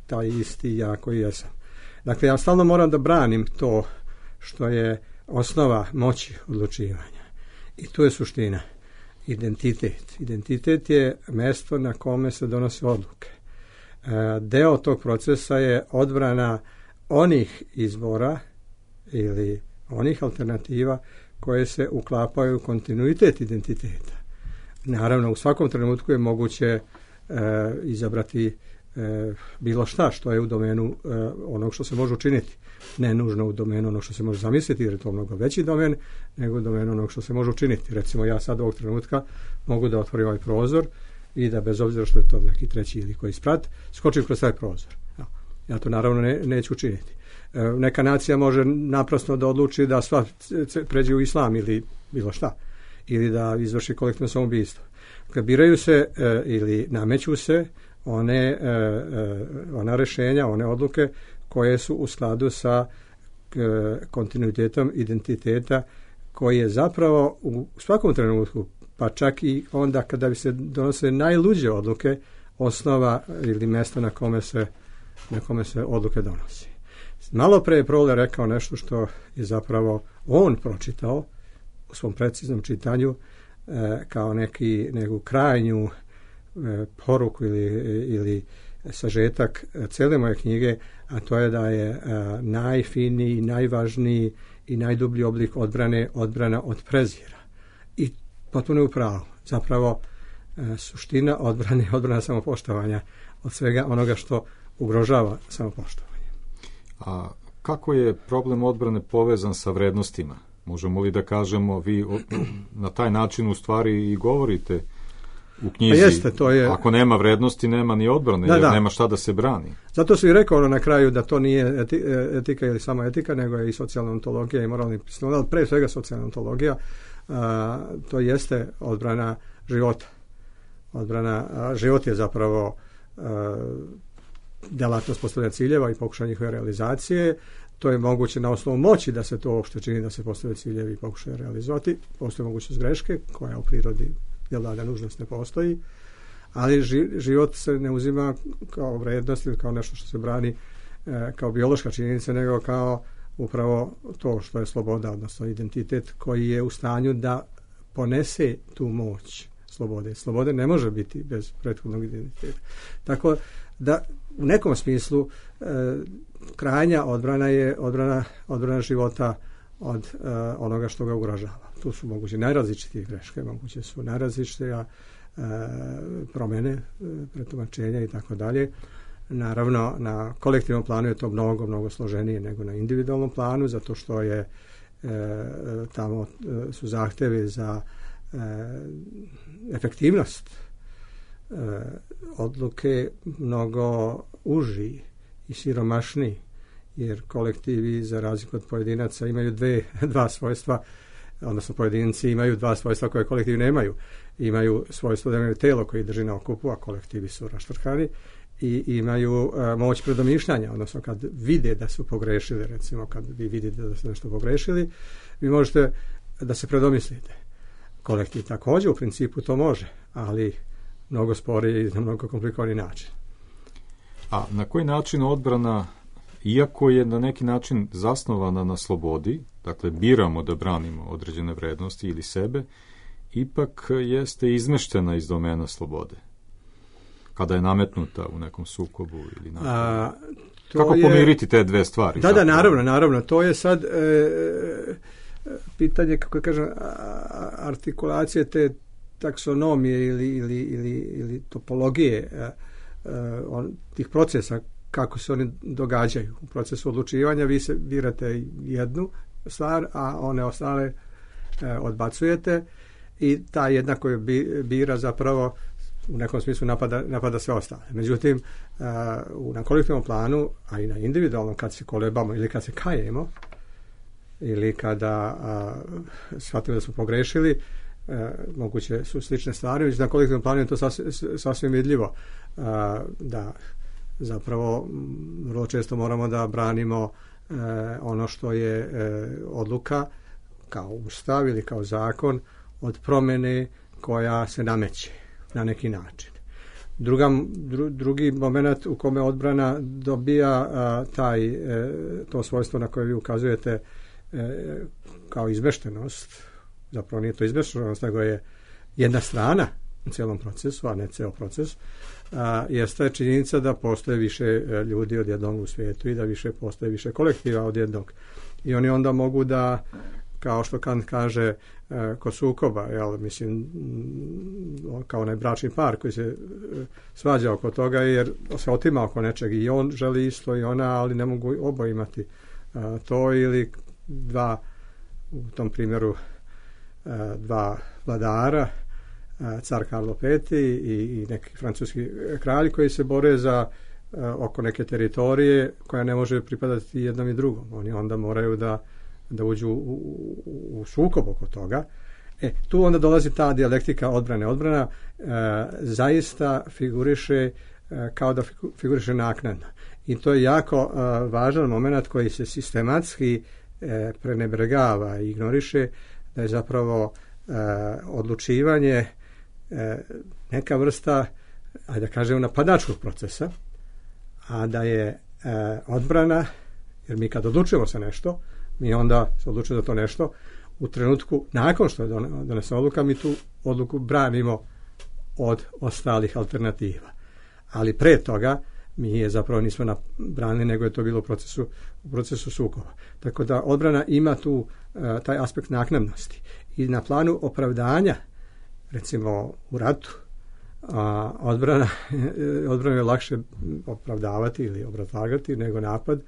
taj isti ja koji jesam. Dakle, ja stalno moram da branim to što je osnova moći odlučivanja. I tu je suština. Identitet. Identitet je mesto na kome se donose odluke. E, deo tog procesa je odbrana onih izbora ili onih alternativa koje se uklapaju u kontinuitet identiteta. Naravno, u svakom trenutku je moguće e, izabrati e, bilo šta što je u domenu e, onog što se može učiniti. Ne nužno u domenu onog što se može zamisliti, jer je to mnogo veći domen, nego u domenu onog što se može učiniti. Recimo, ja sad ovog trenutka mogu da otvorim ovaj prozor i da, bez obzira što je to neki treći ili koji sprat, skočim kroz taj prozor. Ja, ja to naravno ne, neću učiniti. E, neka nacija može naprasno da odluči da sva pređe u islam ili bilo šta, ili da izvrši kolektivno samoubistvo. Kad biraju se e, ili nameću se one, e, e, ona rešenja, one odluke koje su u skladu sa e, kontinuitetom identiteta, koji je zapravo u svakom trenutku, pa čak i onda kada bi se donose najluđe odluke, osnova ili mjesto na kome se, na kome se odluke donosi. Malo pre je Prole rekao nešto što je zapravo on pročitao u svom preciznom čitanju e, kao neki, neku krajnju e, poruku ili, ili sažetak cijele moje knjige, a to je da je e, najfiniji, najvažniji i najdublji oblik odbrane odbrana od prezira. I potpuno je u pravu. Zapravo e, suština odbrane je odbrana samopoštovanja od svega onoga što ugrožava samopoštovanje. A kako je problem odbrane povezan sa vrednostima? Možemo li da kažemo, vi na taj način u stvari i govorite u knjizi, jeste, to je... ako nema vrednosti, nema ni odbrane, da, jer da. nema šta da se brani. Zato su i rekao ono na kraju da to nije eti, etika ili samo etika, nego je i socijalna ontologija i moralni pismo, ali pre svega socijalna ontologija, a, to jeste odbrana života. Odbrana, a, život je zapravo a, delatnost postavljanja ciljeva i pokušanja njihove realizacije. To je moguće na osnovu moći da se to uopšte čini, da se postave ciljevi i pokušaju realizovati. Postoje mogućnost greške, koja u prirodi jel da nužnost ne postoji, ali ži, život se ne uzima kao vrednost ili kao nešto što se brani e, kao biološka činjenica, nego kao upravo to što je sloboda, odnosno identitet koji je u stanju da ponese tu moć slobode. Slobode ne može biti bez prethodnog identiteta. Tako da u nekom smislu e, krajnja odbrana je odbrana, odbrana života od e, onoga što ga ugrožava. Tu su moguće najrazličitije greške, moguće su najrazličitije e, promjene, e, pretumačenja i tako dalje. Naravno, na kolektivnom planu je to mnogo, mnogo složenije nego na individualnom planu, zato što je e, tamo e, su zahtevi za e, efektivnost e, odluke mnogo uži i siromašniji, jer kolektivi, za razliku od pojedinaca, imaju dve, dva svojstva, odnosno pojedinci imaju dva svojstva koje kolektivi nemaju. Imaju svojstvo da imaju telo koji drži na okupu, a kolektivi su raštrkani, i imaju a, moć predomišljanja, odnosno kad vide da su pogrešili, recimo kad vi vidite da ste nešto pogrešili, vi možete da se predomislite. Kolektiv također u principu to može, ali mnogo sporije i na mnogo komplikovani način. A na koji način odbrana, iako je na neki način zasnovana na slobodi, dakle biramo da branimo određene vrednosti ili sebe, ipak jeste izmeštena iz domena slobode? Kada je nametnuta u nekom sukobu ili A, kako je... pomiriti te dve stvari? Da, da, naravno, naravno. To je sad e, pitanje, kako kažem, artikulacije te taksonomije ili, ili, ili, ili topologije e, on, tih procesa, kako se oni događaju. U procesu odlučivanja vi se birate jednu stvar, a one ostale e, odbacujete, i ta jedna koju bira zapravo u nekom smislu napada, napada sve ostale. Međutim, uh, na kolektivnom planu, a i na individualnom, kad se kolebamo ili kad se kajemo, ili kada uh, shvatimo da smo pogrešili, uh, moguće su slične stvari, već na kolektivnom planu je to sasvim, sasvim vidljivo, uh, da zapravo vrlo često moramo da branimo uh, ono što je uh, odluka kao ustav ili kao zakon od promjene koja se nameće na neki način. Druga, dru, drugi moment u kome odbrana dobija a, taj, e, to svojstvo na koje vi ukazujete e, kao izmeštenost, zapravo nije to izmeštenost, nego je jedna strana u cijelom procesu, a ne ceo proces, a, jeste činjenica da postoje više ljudi od jednog u svijetu i da više postoje više kolektiva od jednog. I oni onda mogu da, kao što Kant kaže, e, kod sukoba, jel, mislim, kao onaj bračni par koji se e, svađa oko toga jer se otima oko nečeg i on želi isto i ona, ali ne mogu oboje imati e, to, ili dva, u tom primjeru e, dva vladara, e, car Karlo Peti i, i neki francuski kralj koji se bore za e, oko neke teritorije koja ne može pripadati jednom i drugom. Oni onda moraju da da uđu u, u, u sukob oko toga. E, tu onda dolazi ta dijalektika odbrane. Odbrana e, zaista figuriše e, kao da figuriše naknadno. I to je jako e, važan moment koji se sistematski e, prenebregava i ignoriše, da je zapravo e, odlučivanje e, neka vrsta, ajde da kažem, napadačkog procesa, a da je e, odbrana, jer mi kad odlučujemo se nešto, mi onda se odlučujemo za to nešto, u trenutku nakon što je donesena odluka, mi tu odluku branimo od ostalih alternativa. Ali pre toga mi je zapravo nismo branili, nego je to bilo u procesu, u procesu sukoba. Tako da odbrana ima tu uh, taj aspekt naknadnosti. I na planu opravdanja, recimo u ratu, a odbrana, odbrana je lakše opravdavati ili obrazlagati nego napad,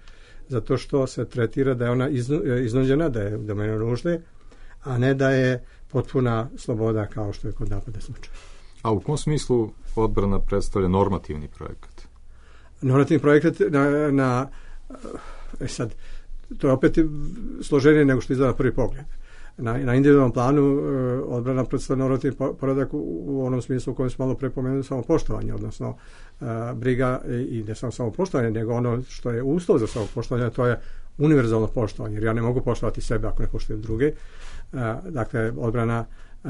zato što se tretira da je ona iznuđena, da je u domenu nužde, a ne da je potpuna sloboda kao što je kod napada slučaj. A u kom smislu odbrana predstavlja normativni projekat? Normativni projekat na, na e sad, to je opet složenije nego što izgleda na prvi pogled. Na, na individualnom planu e, odbrana predstavlja normativni poredak u, u onom smislu u kojem smo malo prepomenuli samopoštovanje, odnosno e, briga i ne samo samopoštovanje, nego ono što je uslov za samopoštovanje, to je univerzalno poštovanje, jer ja ne mogu poštovati sebe ako ne poštujem druge. E, dakle, odbrana e,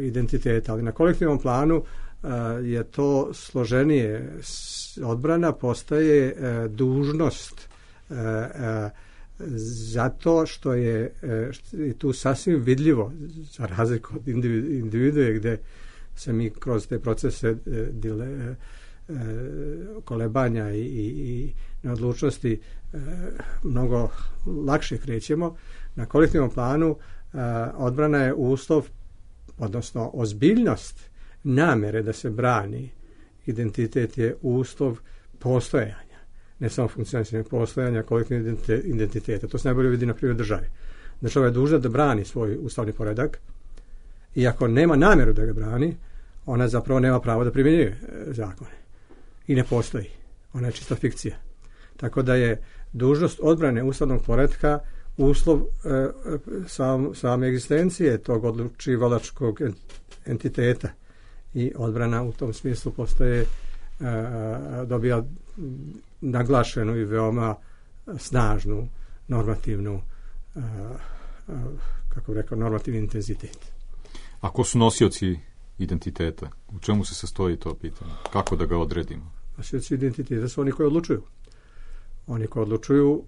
identiteta, ali na kolektivnom planu e, je to složenije. Odbrana postaje e, dužnost e, e, zato što je tu sasvim vidljivo, za razliku od individue gde se mi kroz te procese dile, kolebanja i, i, i neodlučnosti mnogo lakše krećemo. Na kolektivnom planu odbrana je uslov, odnosno ozbiljnost namere da se brani identitet je uslov postojanja, ne samo funkcionisanja postojanja kolektivnog identiteta. To se najbolje vidi na primjer države. Država je dužna da brani svoj ustavni poredak i ako nema namjeru da ga brani, ona zapravo nema pravo da primjenjuje zakone. I ne postoji. Ona je čista fikcija. Tako da je dužnost odbrane ustavnog poretka uslov e, sam, same egzistencije tog odlučivalačkog entiteta i odbrana u tom smislu postaje e, dobija naglašenu i veoma snažnu normativnu e, kako bih rekao, normativni intenzitet. A ko su nosioci identiteta? U čemu se sastoji to pitanje? Kako da ga odredimo? Nosioci identiteta su oni koji odlučuju. Oni koji odlučuju,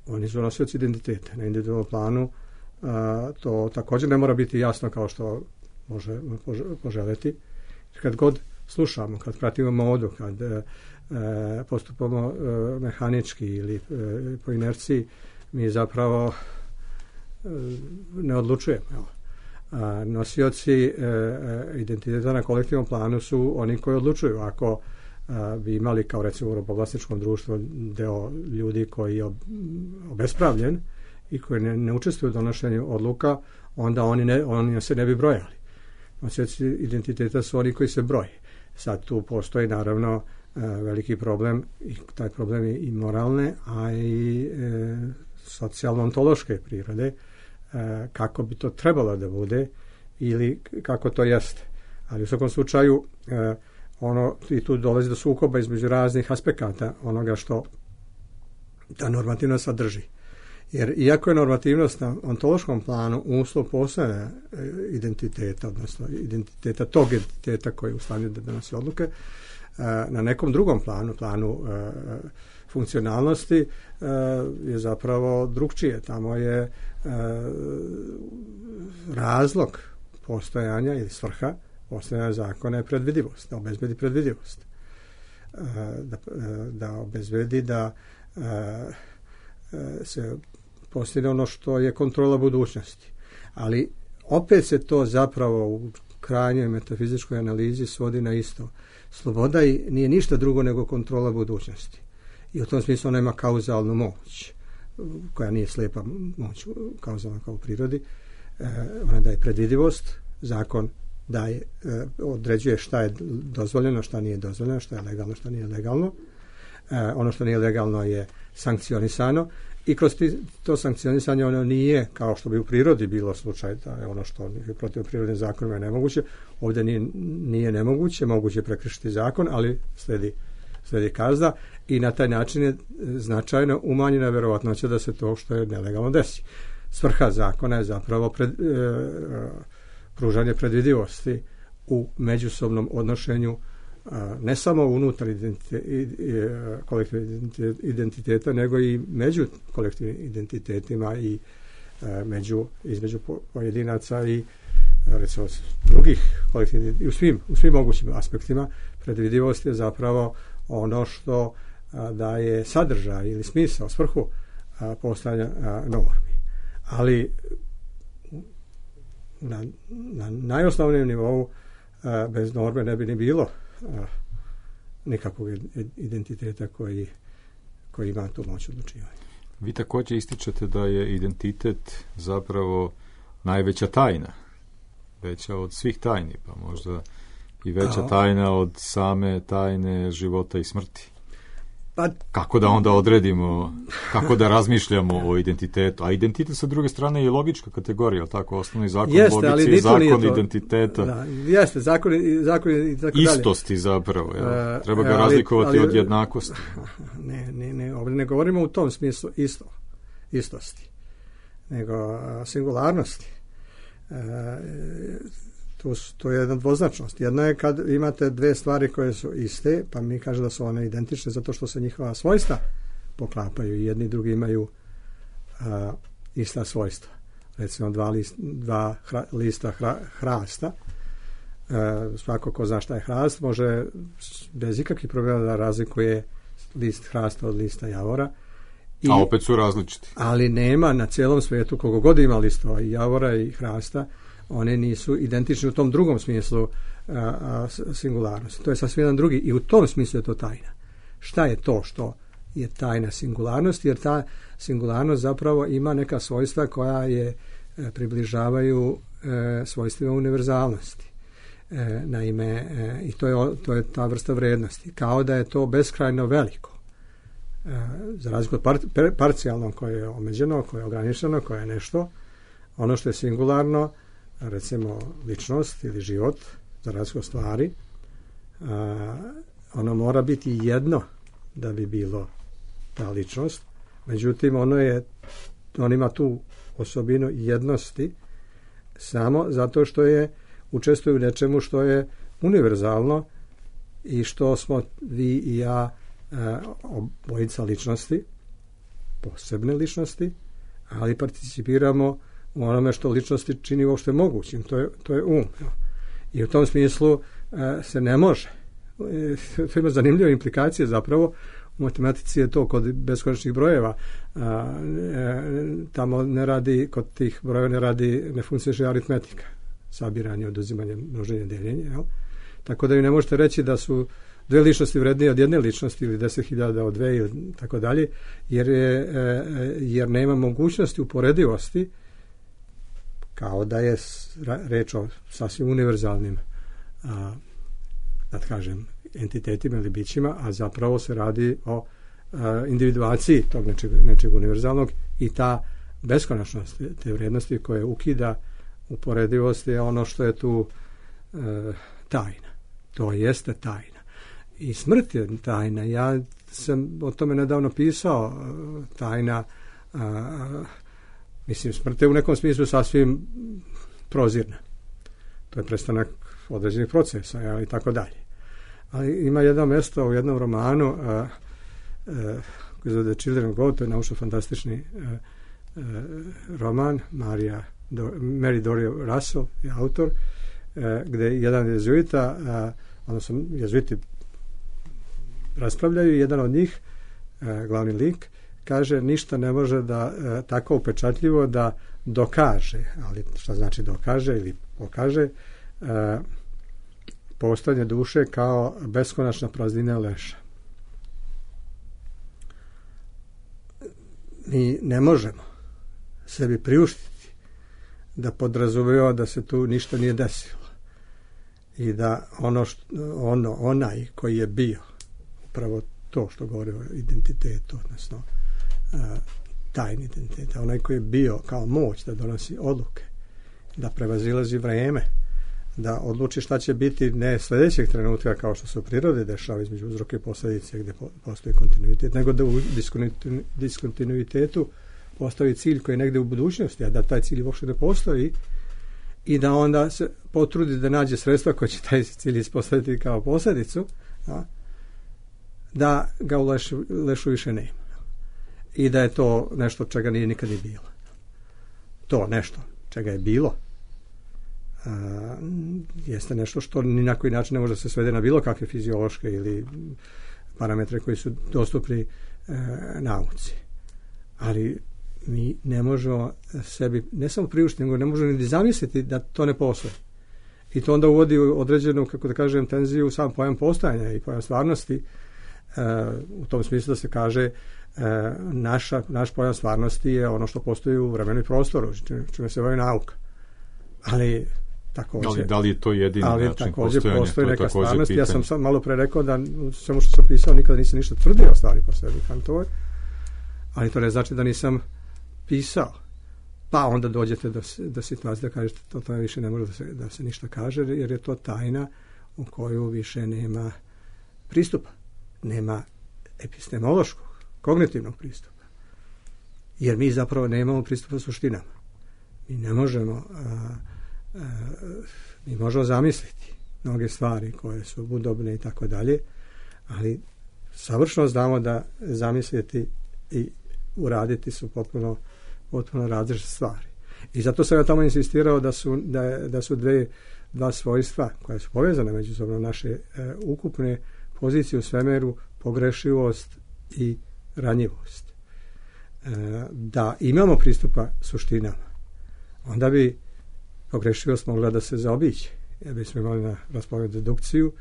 oni su nosioci identiteta. Na individualnom planu a, to također ne mora biti jasno kao što može poželjeti. Kad god slušamo, kad pratimo modu, kad e, postupamo e, mehanički ili e, po inerciji, mi zapravo e, ne odlučujemo. Evo. A, nosioci e, identiteta na kolektivnom planu su oni koji odlučuju. Ako a, bi imali kao recimo u robovlasničkom društvu deo ljudi koji je obespravljen i koji ne, ne učestvuju u donošenju odluka, onda oni, ne, oni se ne bi brojali. Nosioci identiteta su oni koji se broje. Sad tu postoji naravno e, veliki problem i taj problem je i moralne, a i e, socijalno-ontološke prirode, e, kako bi to trebalo da bude ili kako to jeste. Ali u svakom slučaju e, ono, i tu dolazi do sukoba između raznih aspekata onoga što ta normativnost sadrži. Jer iako je normativnost na ontološkom planu uslov postojanja identiteta, odnosno identiteta tog identiteta koji je u stanju da donosi odluke, na nekom drugom planu, planu funkcionalnosti, je zapravo drugčije. Tamo je razlog postojanja ili svrha postojanja zakona je predvidivost, da obezbedi predvidivost. Da, da obezbedi da se postigne ono što je kontrola budućnosti. Ali opet se to zapravo u krajnjoj metafizičkoj analizi svodi na isto. Sloboda i nije ništa drugo nego kontrola budućnosti. I u tom smislu ona ima kauzalnu moć, koja nije slijepa moć kauzalna kao u prirodi. E, ona daje predvidivost, zakon daje, e, određuje šta je dozvoljeno, šta nije dozvoljeno, šta je legalno, šta nije legalno. E, ono što nije legalno je sankcionisano i kroz to sankcionisanje ono nije, kao što bi u prirodi bilo slučaj, da je ono što je protiv prirodnim zakonima je nemoguće, ovdje nije, nije nemoguće, moguće prekršiti zakon, ali sledi, sledi kazna i na taj način je značajno umanjena verovatnoća da se to što je nelegalno desi. Svrha zakona je zapravo pred, e, pružanje predvidivosti u međusobnom odnošenju ne samo unutar kolektivnog identiteta, nego i među kolektivnim identitetima i među, između pojedinaca i recimo drugih kolektivnih, i u svim, u svim mogućim aspektima. Predvidivost je zapravo ono što daje sadržaj ili smisao, svrhu postojanja normi. Ali na, na najosnovnijem nivou bez norme ne bi ni bilo nikakvog identiteta koji, koji ima tu moć odlučivanja. Vi također ističete da je identitet zapravo najveća tajna, veća od svih tajni, pa možda i veća tajna od same tajne života i smrti. Pa, kako da onda odredimo, kako da razmišljamo o identitetu? A identitet sa druge strane je logička kategorija, tako, osnovni zakon jeste, logici i zakon identiteta. Da, jeste, zakon, zakon i tako dalje. Istosti zapravo, je. Treba ga ali, razlikovati ali, od jednakosti. Ne, ne, ne, ovdje ne govorimo u tom smislu isto, istosti, nego singularnosti. E, To, to je jedna dvoznačnost. Jedna je kad imate dve stvari koje su iste, pa mi kaže da su one identične zato što se njihova svojstva poklapaju i jedni i drugi imaju a, ista svojstva. Recimo dva, list, dva hra, lista hra, hrasta, a, svako ko zna šta je hrast može bez ikakvih problema da razlikuje list hrasta od lista javora. I, a opet su različiti. Ali nema na cijelom svijetu, koliko god ima listova i javora i hrasta, one nisu identične u tom drugom smislu a, a, singularnosti. To je sasvim jedan drugi i u tom smislu je to tajna. Šta je to što je tajna singularnosti? Jer ta singularnost zapravo ima neka svojstva koja je e, približavaju e, svojstvima univerzalnosti. E, naime, e, i to je, to je ta vrsta vrednosti. Kao da je to beskrajno veliko. E, za razliku od par, par, parcijalno koje je omeđeno, koje je ograničeno, koje je nešto, ono što je singularno, recimo ličnost ili život, za razliku od stvari, a, ono mora biti jedno da bi bilo ta ličnost, međutim ono je, on ima tu osobinu jednosti samo zato što je učestvuje u nečemu što je univerzalno i što smo vi i ja obojica ličnosti, posebne ličnosti, ali participiramo u onome što ličnosti čini uopšte mogućim, to je, to je um. I u tom smislu se ne može. To ima zanimljive implikacije zapravo. U matematici je to kod beskonačnih brojeva. A, e, tamo ne radi, kod tih brojeva ne radi, ne funkcioniše aritmetika. Sabiranje, oduzimanje, množenje, deljenje. Jel? Tako da ju ne možete reći da su dve ličnosti vrednije od jedne ličnosti ili deset hiljada od dve ili tako dalje, jer, je, e, jer nema mogućnosti uporedivosti kao da je reč o sasvim univerzalnim a, da kažem, entitetima ili bićima, a zapravo se radi o a, individuaciji tog nečeg, nečeg univerzalnog i ta beskonačnost te vrijednosti koje ukida uporedivost je ono što je tu a, tajna. To jeste tajna. I smrt je tajna. Ja sam o tome nedavno pisao. A, tajna a, mislim, smrt je u nekom smislu sasvim prozirna. To je prestanak određenih procesa, ja, i tako dalje. Ali ima jedno mjesto u jednom romanu a, a, koji zove The Children of God, to je naučno-fantastični a, a, roman, Marija, Do, Mary Doria Russell je autor, a, gde jedan jezuita, a, odnosno jezuiti raspravljaju, jedan od njih, a, glavni lik, kaže ništa ne može da a, tako upečatljivo da dokaže, ali šta znači dokaže ili pokaže, a, postojanje duše kao beskonačna praznina leša. Mi ne možemo sebi priuštiti da podrazumijeva da se tu ništa nije desilo i da ono, što, ono onaj koji je bio upravo to što govori o identitetu, odnosno a, tajni identitet, onaj koji je bio kao moć da donosi odluke, da prevazilazi vreme, da odluči šta će biti ne sljedećeg trenutka kao što se u prirodi dešava između uzroka i posljedice gdje postoji kontinuitet, nego da u diskontinuitetu postoji cilj koji je negdje u budućnosti, a da taj cilj uopšte ne postoji i da onda se potrudi da nađe sredstva koje će taj cilj ispostaviti kao posljedicu, a, da ga u lešu, lešu više nema. I da je to nešto čega nije nikad ni bilo. To nešto čega je bilo Uh, jeste nešto što ni na koji način ne može da se svede na bilo kakve fiziološke ili parametre koji su dostupni uh, nauci. Ali mi ne možemo sebi ne samo priuštiti, nego ne možemo ni zamisliti da to ne postoji. I to onda uvodi određenu, kako da kažem, tenziju u sam pojam postojanja i pojam stvarnosti, uh, u tom smislu da se kaže uh, naša, naš pojam stvarnosti je ono što postoji u vremenu i prostoru, čime se bavi nauka. Ali također, ali da li je to jedini ali način također postojanja? postoji to neka stvarnost. pitanje. Ja sam sam malo pre rekao da samo što sam pisao nikada nisam ništa tvrdio o stvari po sebi Kantovoj, ali to ne znači da nisam pisao. Pa onda dođete do, do situacije da kažete to, to više ne može da se, da se ništa kaže, jer je to tajna u koju više nema pristupa. Nema epistemološkog, kognitivnog pristupa. Jer mi zapravo nemamo pristupa suštinama. Mi ne možemo a, a, mi možemo zamisliti mnoge stvari koje su budobne i tako dalje, ali savršeno znamo da zamisliti i uraditi su potpuno potpuno različite stvari. I zato sam ja tamo insistirao da su, da, da su dve, dva svojstva koje su povezane međusobno naše e, ukupne pozicije u svemiru, pogrešivost i ranjivost. E, da imamo pristupa suštinama, onda bi pogrešivost mogla da se zaobiđe. Jer bismo imali na raspolaganju dedukciju,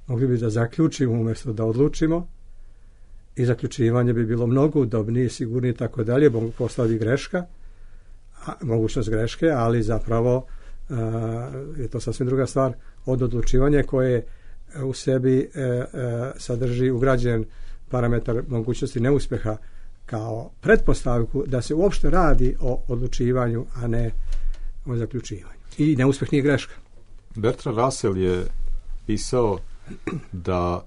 mogli bi da zaključimo umjesto da odlučimo i zaključivanje bi bilo mnogo udobnije, sigurnije i tako dalje, mogu postati greška, a, mogućnost greške, ali zapravo a, je to sasvim druga stvar od odlučivanja koje u sebi e, e, sadrži ugrađen parametar mogućnosti neuspeha kao pretpostavku da se uopšte radi o odlučivanju, a ne o zaključivanju. I neuspeh nije greška. Bertrand Russell je pisao da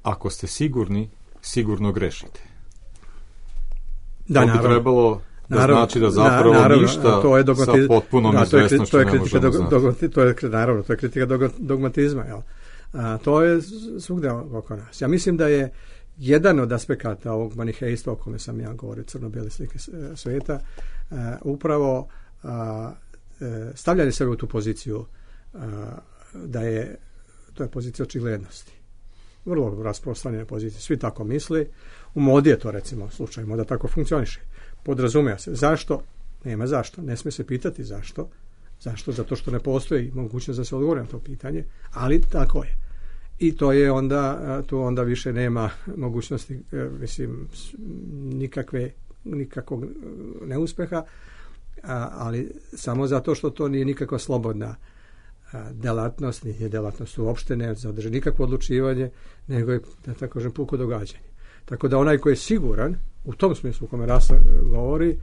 ako ste sigurni, sigurno grešite. Da, to bi naravno, trebalo da naravno, znači da zapravo naravno, ništa to je dogmatiz... sa potpunom da, izvesnošću ne možemo dog... znati. Dog... To je, naravno, to je kritika dog... dogmatizma. Jel? A, to je svugdje oko nas. Ja mislim da je jedan od aspekata ovog manihejstva o kome sam ja govorio, crno-bijele slike sveta, a, upravo a, stavljanje sebe u tu poziciju a, da je, to je pozicija očiglednosti. Vrlo rasprostranjena pozicija. Svi tako misli. U modi je to, recimo, slučaj. Moda tako funkcioniše. Podrazumija se. Zašto? Nema zašto. Ne smije se pitati zašto. Zašto? Zato što ne postoji mogućnost da se odgovori na to pitanje. Ali tako je. I to je onda, tu onda više nema mogućnosti, mislim, nikakve, nikakvog neuspeha, ali samo zato što to nije nikakva slobodna delatnost, nije delatnost uopšte, ne zadrži nikakvo odlučivanje, nego je, da tako kažem, puko događanje. Tako da onaj koji je siguran, u tom smislu u kome Rasa govori,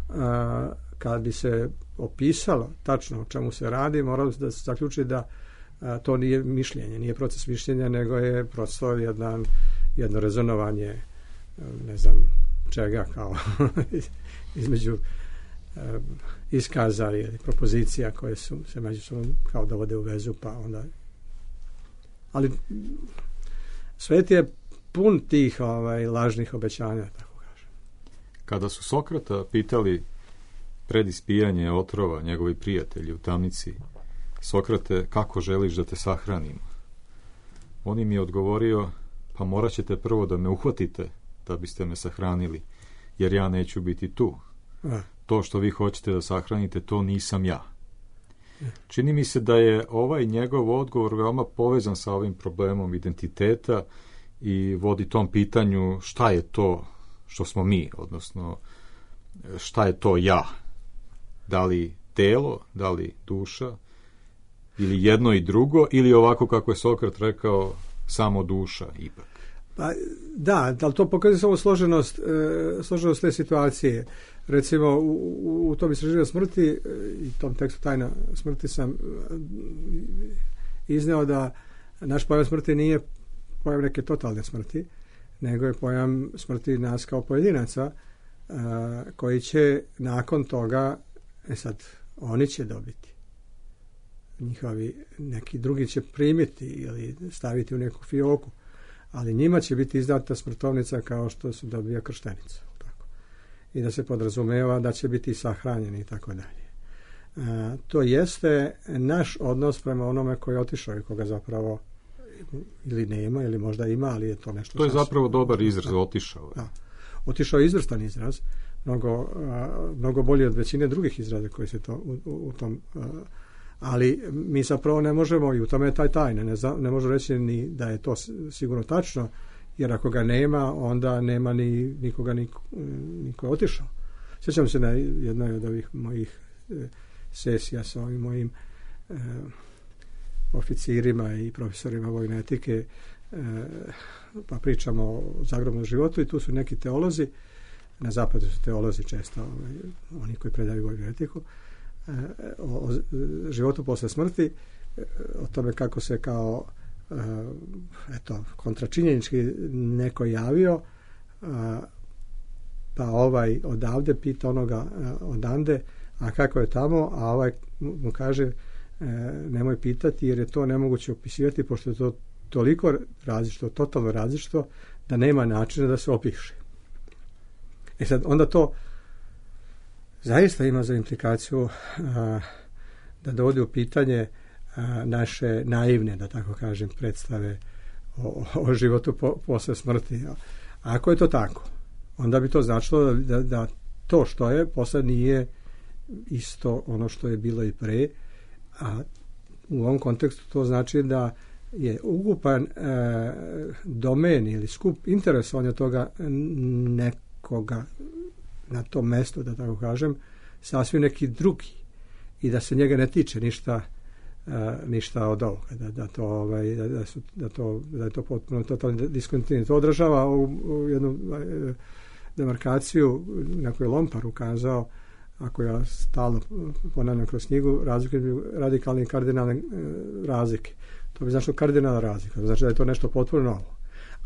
a, kad bi se opisalo tačno o čemu se radi, moralo da se zaključi da a, to nije mišljenje, nije proces mišljenja, nego je prosto jedan, jedno rezonovanje, ne znam čega, kao između a, iskaza ili propozicija koje su se međusobno kao dovode u vezu, pa onda... Ali svet je pun tih ovaj, lažnih obećanja, tako kažem. Kada su Sokrata pitali pred ispijanje otrova njegovi prijatelji u tamnici, Sokrate, kako želiš da te sahranimo? On im je odgovorio, pa morat ćete prvo da me uhvatite da biste me sahranili, jer ja neću biti tu. A. To što vi hoćete da sahranite, to nisam ja. Čini mi se da je ovaj njegov odgovor veoma povezan sa ovim problemom identiteta i vodi tom pitanju šta je to što smo mi, odnosno šta je to ja. Da li telo, da li duša, ili jedno i drugo, ili ovako kako je Sokrat rekao, samo duša ipak. Pa, da, ali to pokazuje samo složenost, e, složenost te situacije. Recimo, u, u, u tom istraživanju smrti e, i tom tekstu Tajna smrti sam e, izneo da naš pojam smrti nije pojam neke totalne smrti, nego je pojam smrti nas kao pojedinaca, e, koji će nakon toga, e sad, oni će dobiti. Njihovi, neki drugi će primiti ili staviti u neku fioku, ali njima će biti izdata smrtovnica kao što se dobija krštenica. Tako. I da se podrazumeva da će biti sahranjeni i tako dalje. To jeste naš odnos prema onome koji je otišao i koga zapravo ili nema, ili možda ima, ali je to nešto... To je zapravo dobar izraz, otišao. Da. Otišao je izvrstan izraz, mnogo, mnogo bolji od većine drugih izraza koji se to u, u, u tom... Ali mi zapravo ne možemo, i u tome je taj tajne, ne, ne možemo reći ni da je to sigurno tačno, jer ako ga nema, onda nema ni nikoga niko, niko je otišao. Sjećam se na jednoj od ovih mojih e, sesija sa ovim mojim e, oficirima i profesorima vojne etike, e, pa pričamo o zagrobnom životu i tu su neki teolozi, na zapadu su teolozi često, ovaj, oni koji predaju vojnu etiku, o, o životu posle smrti, o tome kako se kao eto, kontračinjenički neko javio, pa ovaj odavde pita onoga odande, a kako je tamo, a ovaj mu kaže nemoj pitati jer je to nemoguće opisivati pošto je to toliko različito, totalno različito da nema načina da se opiše. E sad, onda to zaista ima za implikaciju a, da dovodi u pitanje a, naše naivne, da tako kažem, predstave o, o životu po, posle smrti. A ako je to tako, onda bi to značilo da, da to što je posle nije isto ono što je bilo i pre, a u ovom kontekstu to znači da je ukupan e, domen ili skup interesovanja toga nekoga na tom mestu, da tako kažem, sasvim neki drugi i da se njega ne tiče ništa e, ništa od ovoga, da, da, to, ovaj, da, da, su, da, to, da je to potpuno totalni diskontinuitet. To odražava u, u jednu e, demarkaciju na koju je Lompar ukazao, ako ja stalno ponavljam kroz knjigu, razlike, radikalne i kardinalne e, razlike. To bi značilo kardinalna razlika, znači da je to nešto potpuno novo.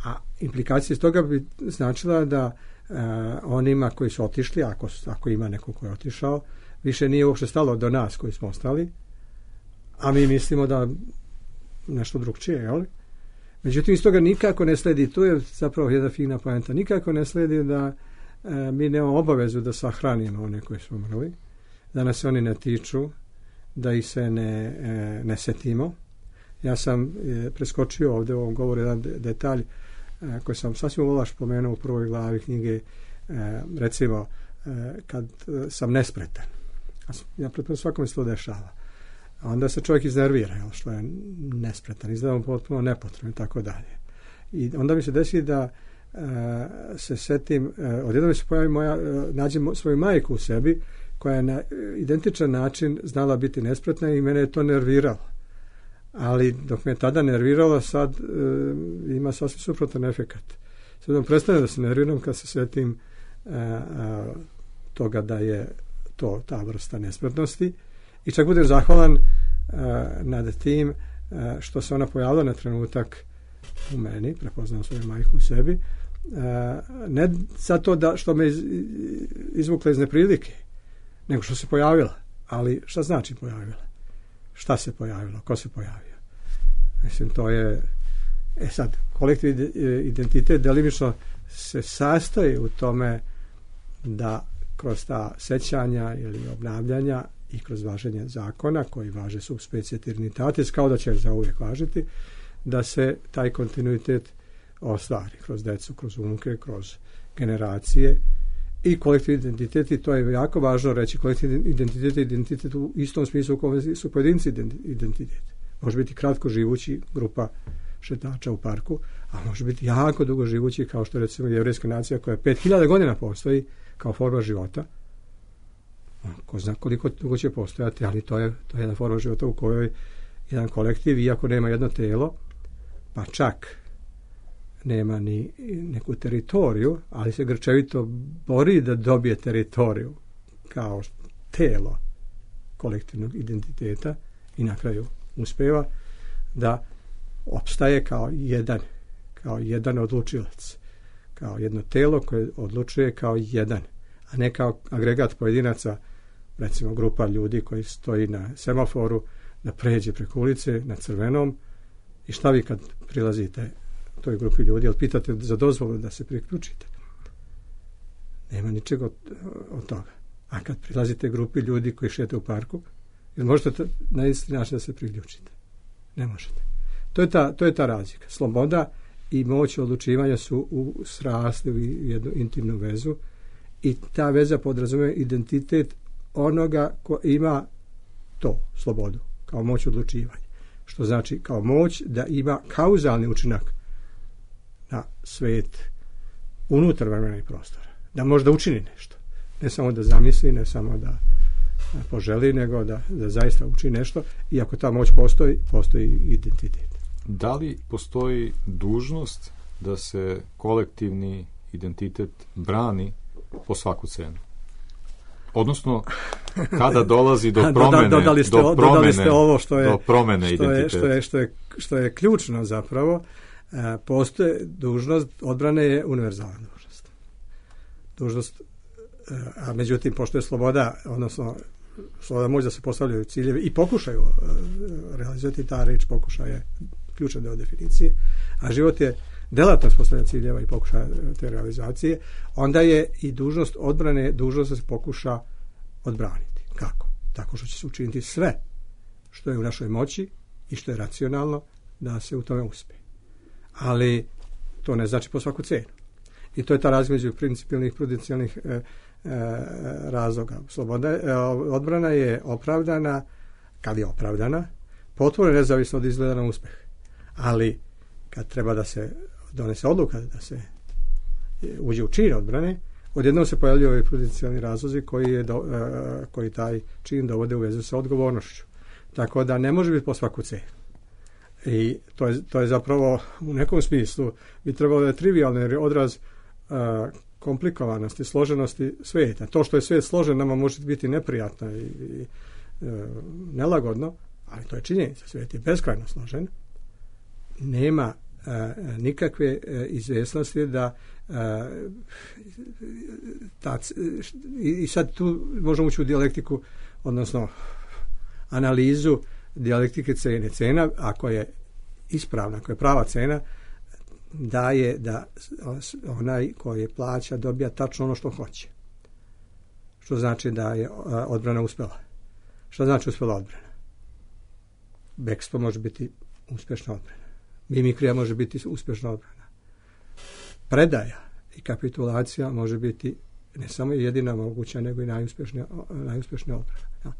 A implikacija iz toga bi značila da e, onima koji su otišli, ako, ako ima neko koji je otišao, više nije uopšte stalo do nas koji smo ostali, a mi mislimo da nešto drugčije, jel? Međutim, iz toga nikako ne sledi, to je zapravo jedna fina poenta, nikako ne sledi da e, mi nemamo obavezu da sahranimo one koji su umrli, da nas oni ne tiču, da ih se ne, e, ne setimo. Ja sam e, preskočio ovdje u ovom govoru jedan detalj e, koji sam sasvim uvolaš pomenuo u prvoj glavi knjige, e, recimo e, kad e, sam nespretan. Ja pretpostavljam svakome se to dešava. A onda se čovjek iznervira, jel, što je nespretan, izgleda mu potpuno nepotrebno i tako dalje. I onda mi se desi da e, se setim, e, odjednom mi se pojavi moja, e, nađem svoju majku u sebi koja je na identičan način znala biti nespretna i mene je to nerviralo. Ali dok me je tada nerviralo, sad e, ima sasvim suprotan efekat. Sad vam prestane da se nerviram kad se setim e, e, toga da je to ta vrsta nespretnosti i čak budem zahvalan e, nad tim e, što se ona pojavila na trenutak u meni, prepoznam svoju majku u sebi, e, ne zato da što me iz, izvukla iz neprilike, nego što se pojavila. Ali šta znači pojavila? Šta se pojavilo? Ko se pojavio? Mislim, to je... E sad, kolektivni identitet delimično se sastoji u tome da kroz ta sećanja ili obnavljanja i kroz važenje zakona, koji važe sub specie eternitatis, kao da će zauvijek važiti, da se taj kontinuitet ostvari kroz decu, kroz unuke, kroz generacije i kolektivni identitet, i to je jako važno reći, kolektivni identitet je identitet u istom smislu u kojem su pojedinci identitet. Može biti kratko živući grupa šetača u parku, a može biti jako dugo živući, kao što je recimo jevrejska nacija koja pet hiljada godina postoji kao forma života. Ko zna koliko dugo će postojati, ali to je, to je jedna forma života u kojoj jedan kolektiv, iako nema jedno telo, pa čak nema ni neku teritoriju, ali se grčevito bori da dobije teritoriju kao telo kolektivnog identiteta i na kraju uspeva da opstaje kao jedan, kao jedan odlučilac, kao jedno telo koje odlučuje kao jedan, a ne kao agregat pojedinaca, recimo grupa ljudi koji stoji na semaforu da pređe preko ulice na crvenom i šta vi kad prilazite toj grupi ljudi, ali pitate za dozvolu da se priključite. Nema ničega od, od toga. A kad prilazite grupi ljudi koji šete u parku, jel možete na isti način da se priključite? Ne možete. To je ta, to je ta razlika. Sloboda i moć odlučivanja su u srasli u jednu intimnu vezu i ta veza podrazumije identitet onoga ko ima to, slobodu, kao moć odlučivanja. Što znači kao moć da ima kauzalni učinak na svet unutar vremena i prostora. Da može da učini nešto. Ne samo da zamisli, ne samo da poželi, nego da, da zaista učini nešto. I ako ta moć postoji, postoji identitet. Da li postoji dužnost da se kolektivni identitet brani po svaku cenu? Odnosno, kada dolazi do promene, dodali ste, do promene, dodali ste ovo što je, do promene što je, identiteta. što je, što je, što je ključno zapravo. E, postoje dužnost, odbrane je univerzalna dužnost. Dužnost, e, a međutim, pošto je sloboda, odnosno sloboda može da se postavljaju ciljevi i pokušaju e, realizovati, ta reč pokušaj je ključan deo definicije, a život je delatnost postavljanja ciljeva i pokušaja te realizacije, onda je i dužnost odbrane dužnost da se pokuša odbraniti. Kako? Tako što će se učiniti sve što je u našoj moći i što je racionalno da se u tome uspije. Ali to ne znači po svaku cenu. I to je ta razlika između principijelnih i prudencijalnih e, e, razloga. Sloboda, e, odbrana je opravdana, kad je opravdana, potpuno nezavisno od izgleda na uspeh. Ali kad treba da se donese odluka, da se uđe u čin odbrane, odjednom se pojavljuju ovi prudencijalni razlozi koji, je do, e, koji taj čin dovode u vezu sa odgovornošću. Tako da ne može biti po svaku cenu. I to je, to je zapravo u nekom smislu bi trebalo da je trivialno, jer je odraz a, komplikovanosti, složenosti svijeta. To što je svijet složen nama može biti neprijatno i, i e, nelagodno, ali to je činjenica. Svijet je beskrajno složen. Nema a, nikakve a, izvjesnosti da a, ta, i, i sad tu možemo ući u dijalektiku, odnosno analizu dijalektike cene. Cena, ako je ispravna, ako je prava cena, daje da onaj koji plaća dobija tačno ono što hoće. Što znači da je odbrana uspjela. Što znači uspjela odbrana? Bekstvo može biti uspješna odbrana. Mimikrija može biti uspješna odbrana. Predaja i kapitulacija može biti ne samo jedina moguća, nego i najuspješnija, najuspješnija odbrana.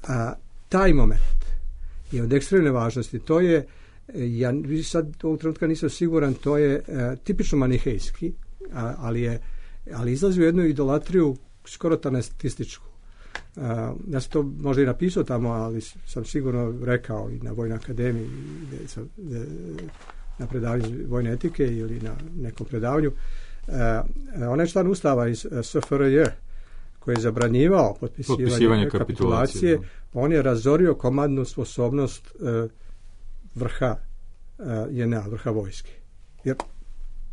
A taj moment je od ekstremne važnosti. To je, ja sad ovog trenutka nisam siguran, to je e, tipično manihejski, a, ali, je, ali izlazi u jednu idolatriju skoro tanestističku. A, ja sam to možda i napisao tamo, ali sam sigurno rekao i na Vojnoj akademiji, gdje sam, gdje, na predavanju vojne etike ili na nekom predavanju. A, onaj član ustava iz S F R J koji je zabranjivao potpisivanje, potpisivanje kapitulacije, kapitulacije, on je razorio komandnu sposobnost e, vrha e, J N A, vrha vojske. Jer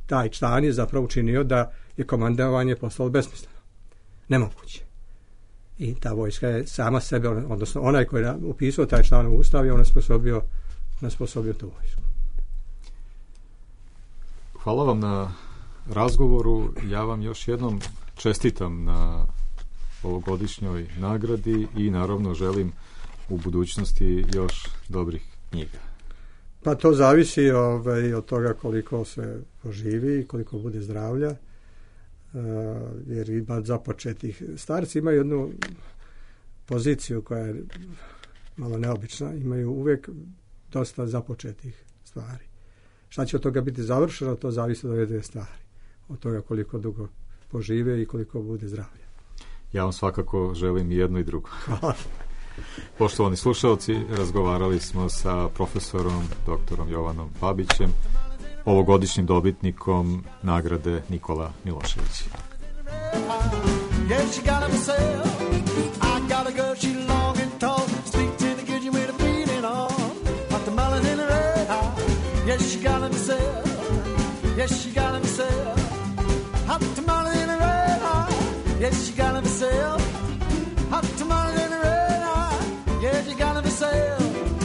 taj član je zapravo učinio da je komandovanje postalo besmisleno. Nemoguće. I ta vojska je sama sebe, odnosno onaj koji je upisao taj član u ustav, je on osposobio, on osposobio tu vojsku. Hvala vam na razgovoru. Ja vam još jednom čestitam na ovogodišnjoj nagradi i naravno želim u budućnosti još dobrih knjiga. Pa to zavisi ovaj, od toga koliko se poživi i koliko bude zdravlja, uh, jer ima započetih. Starci imaju jednu poziciju koja je malo neobična, imaju uvijek dosta započetih stvari. Šta će od toga biti završeno, to zavisi od ove dvije stvari. Od toga koliko dugo požive i koliko bude zdravlja. Ja vam svakako želim i jedno i drugo. Poštovani slušalci, razgovarali smo sa profesorom doktorom Jovanom Babićem, ovogodišnjim dobitnikom nagrade Nikola Milošević. Yes, you got myself hot tamale in the red eye. Yes, you got myself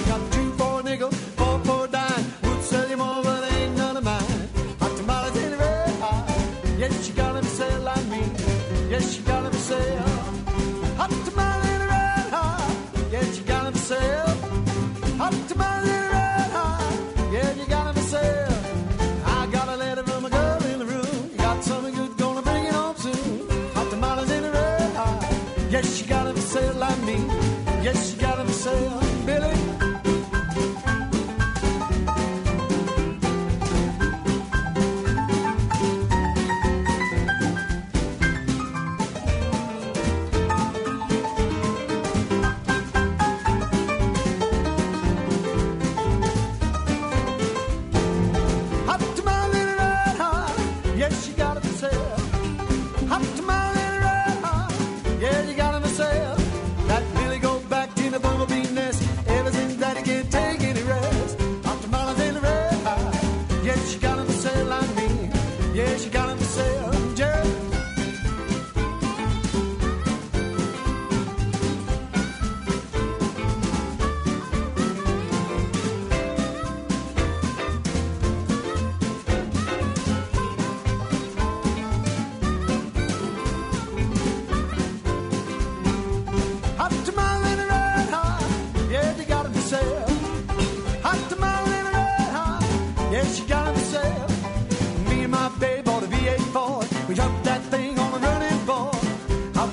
got two for a nickel, four for a dime. Would sell you more, but ain't none of mine. Hot tamales in the red eye. Yes, you got myself like me. Yes, you got myself hot tamale in the red eye. Yes, you got myself hot tamale in the red eye. Yes, you got myself. I got a letter from a girl in the room. Got something good, gonna bring it home soon. Yes, you got to say it like me. Yes, you got to say it, Billy.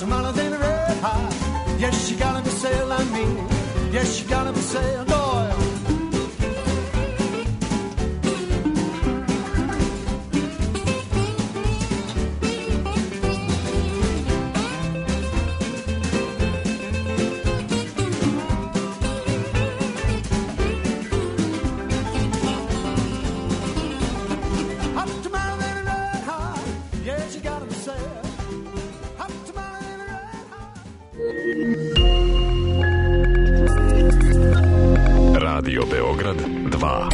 tamale than a red hot. Yes, you gotta be sail like me. Yes, you gotta be sail, boy. Radio Beograd dva.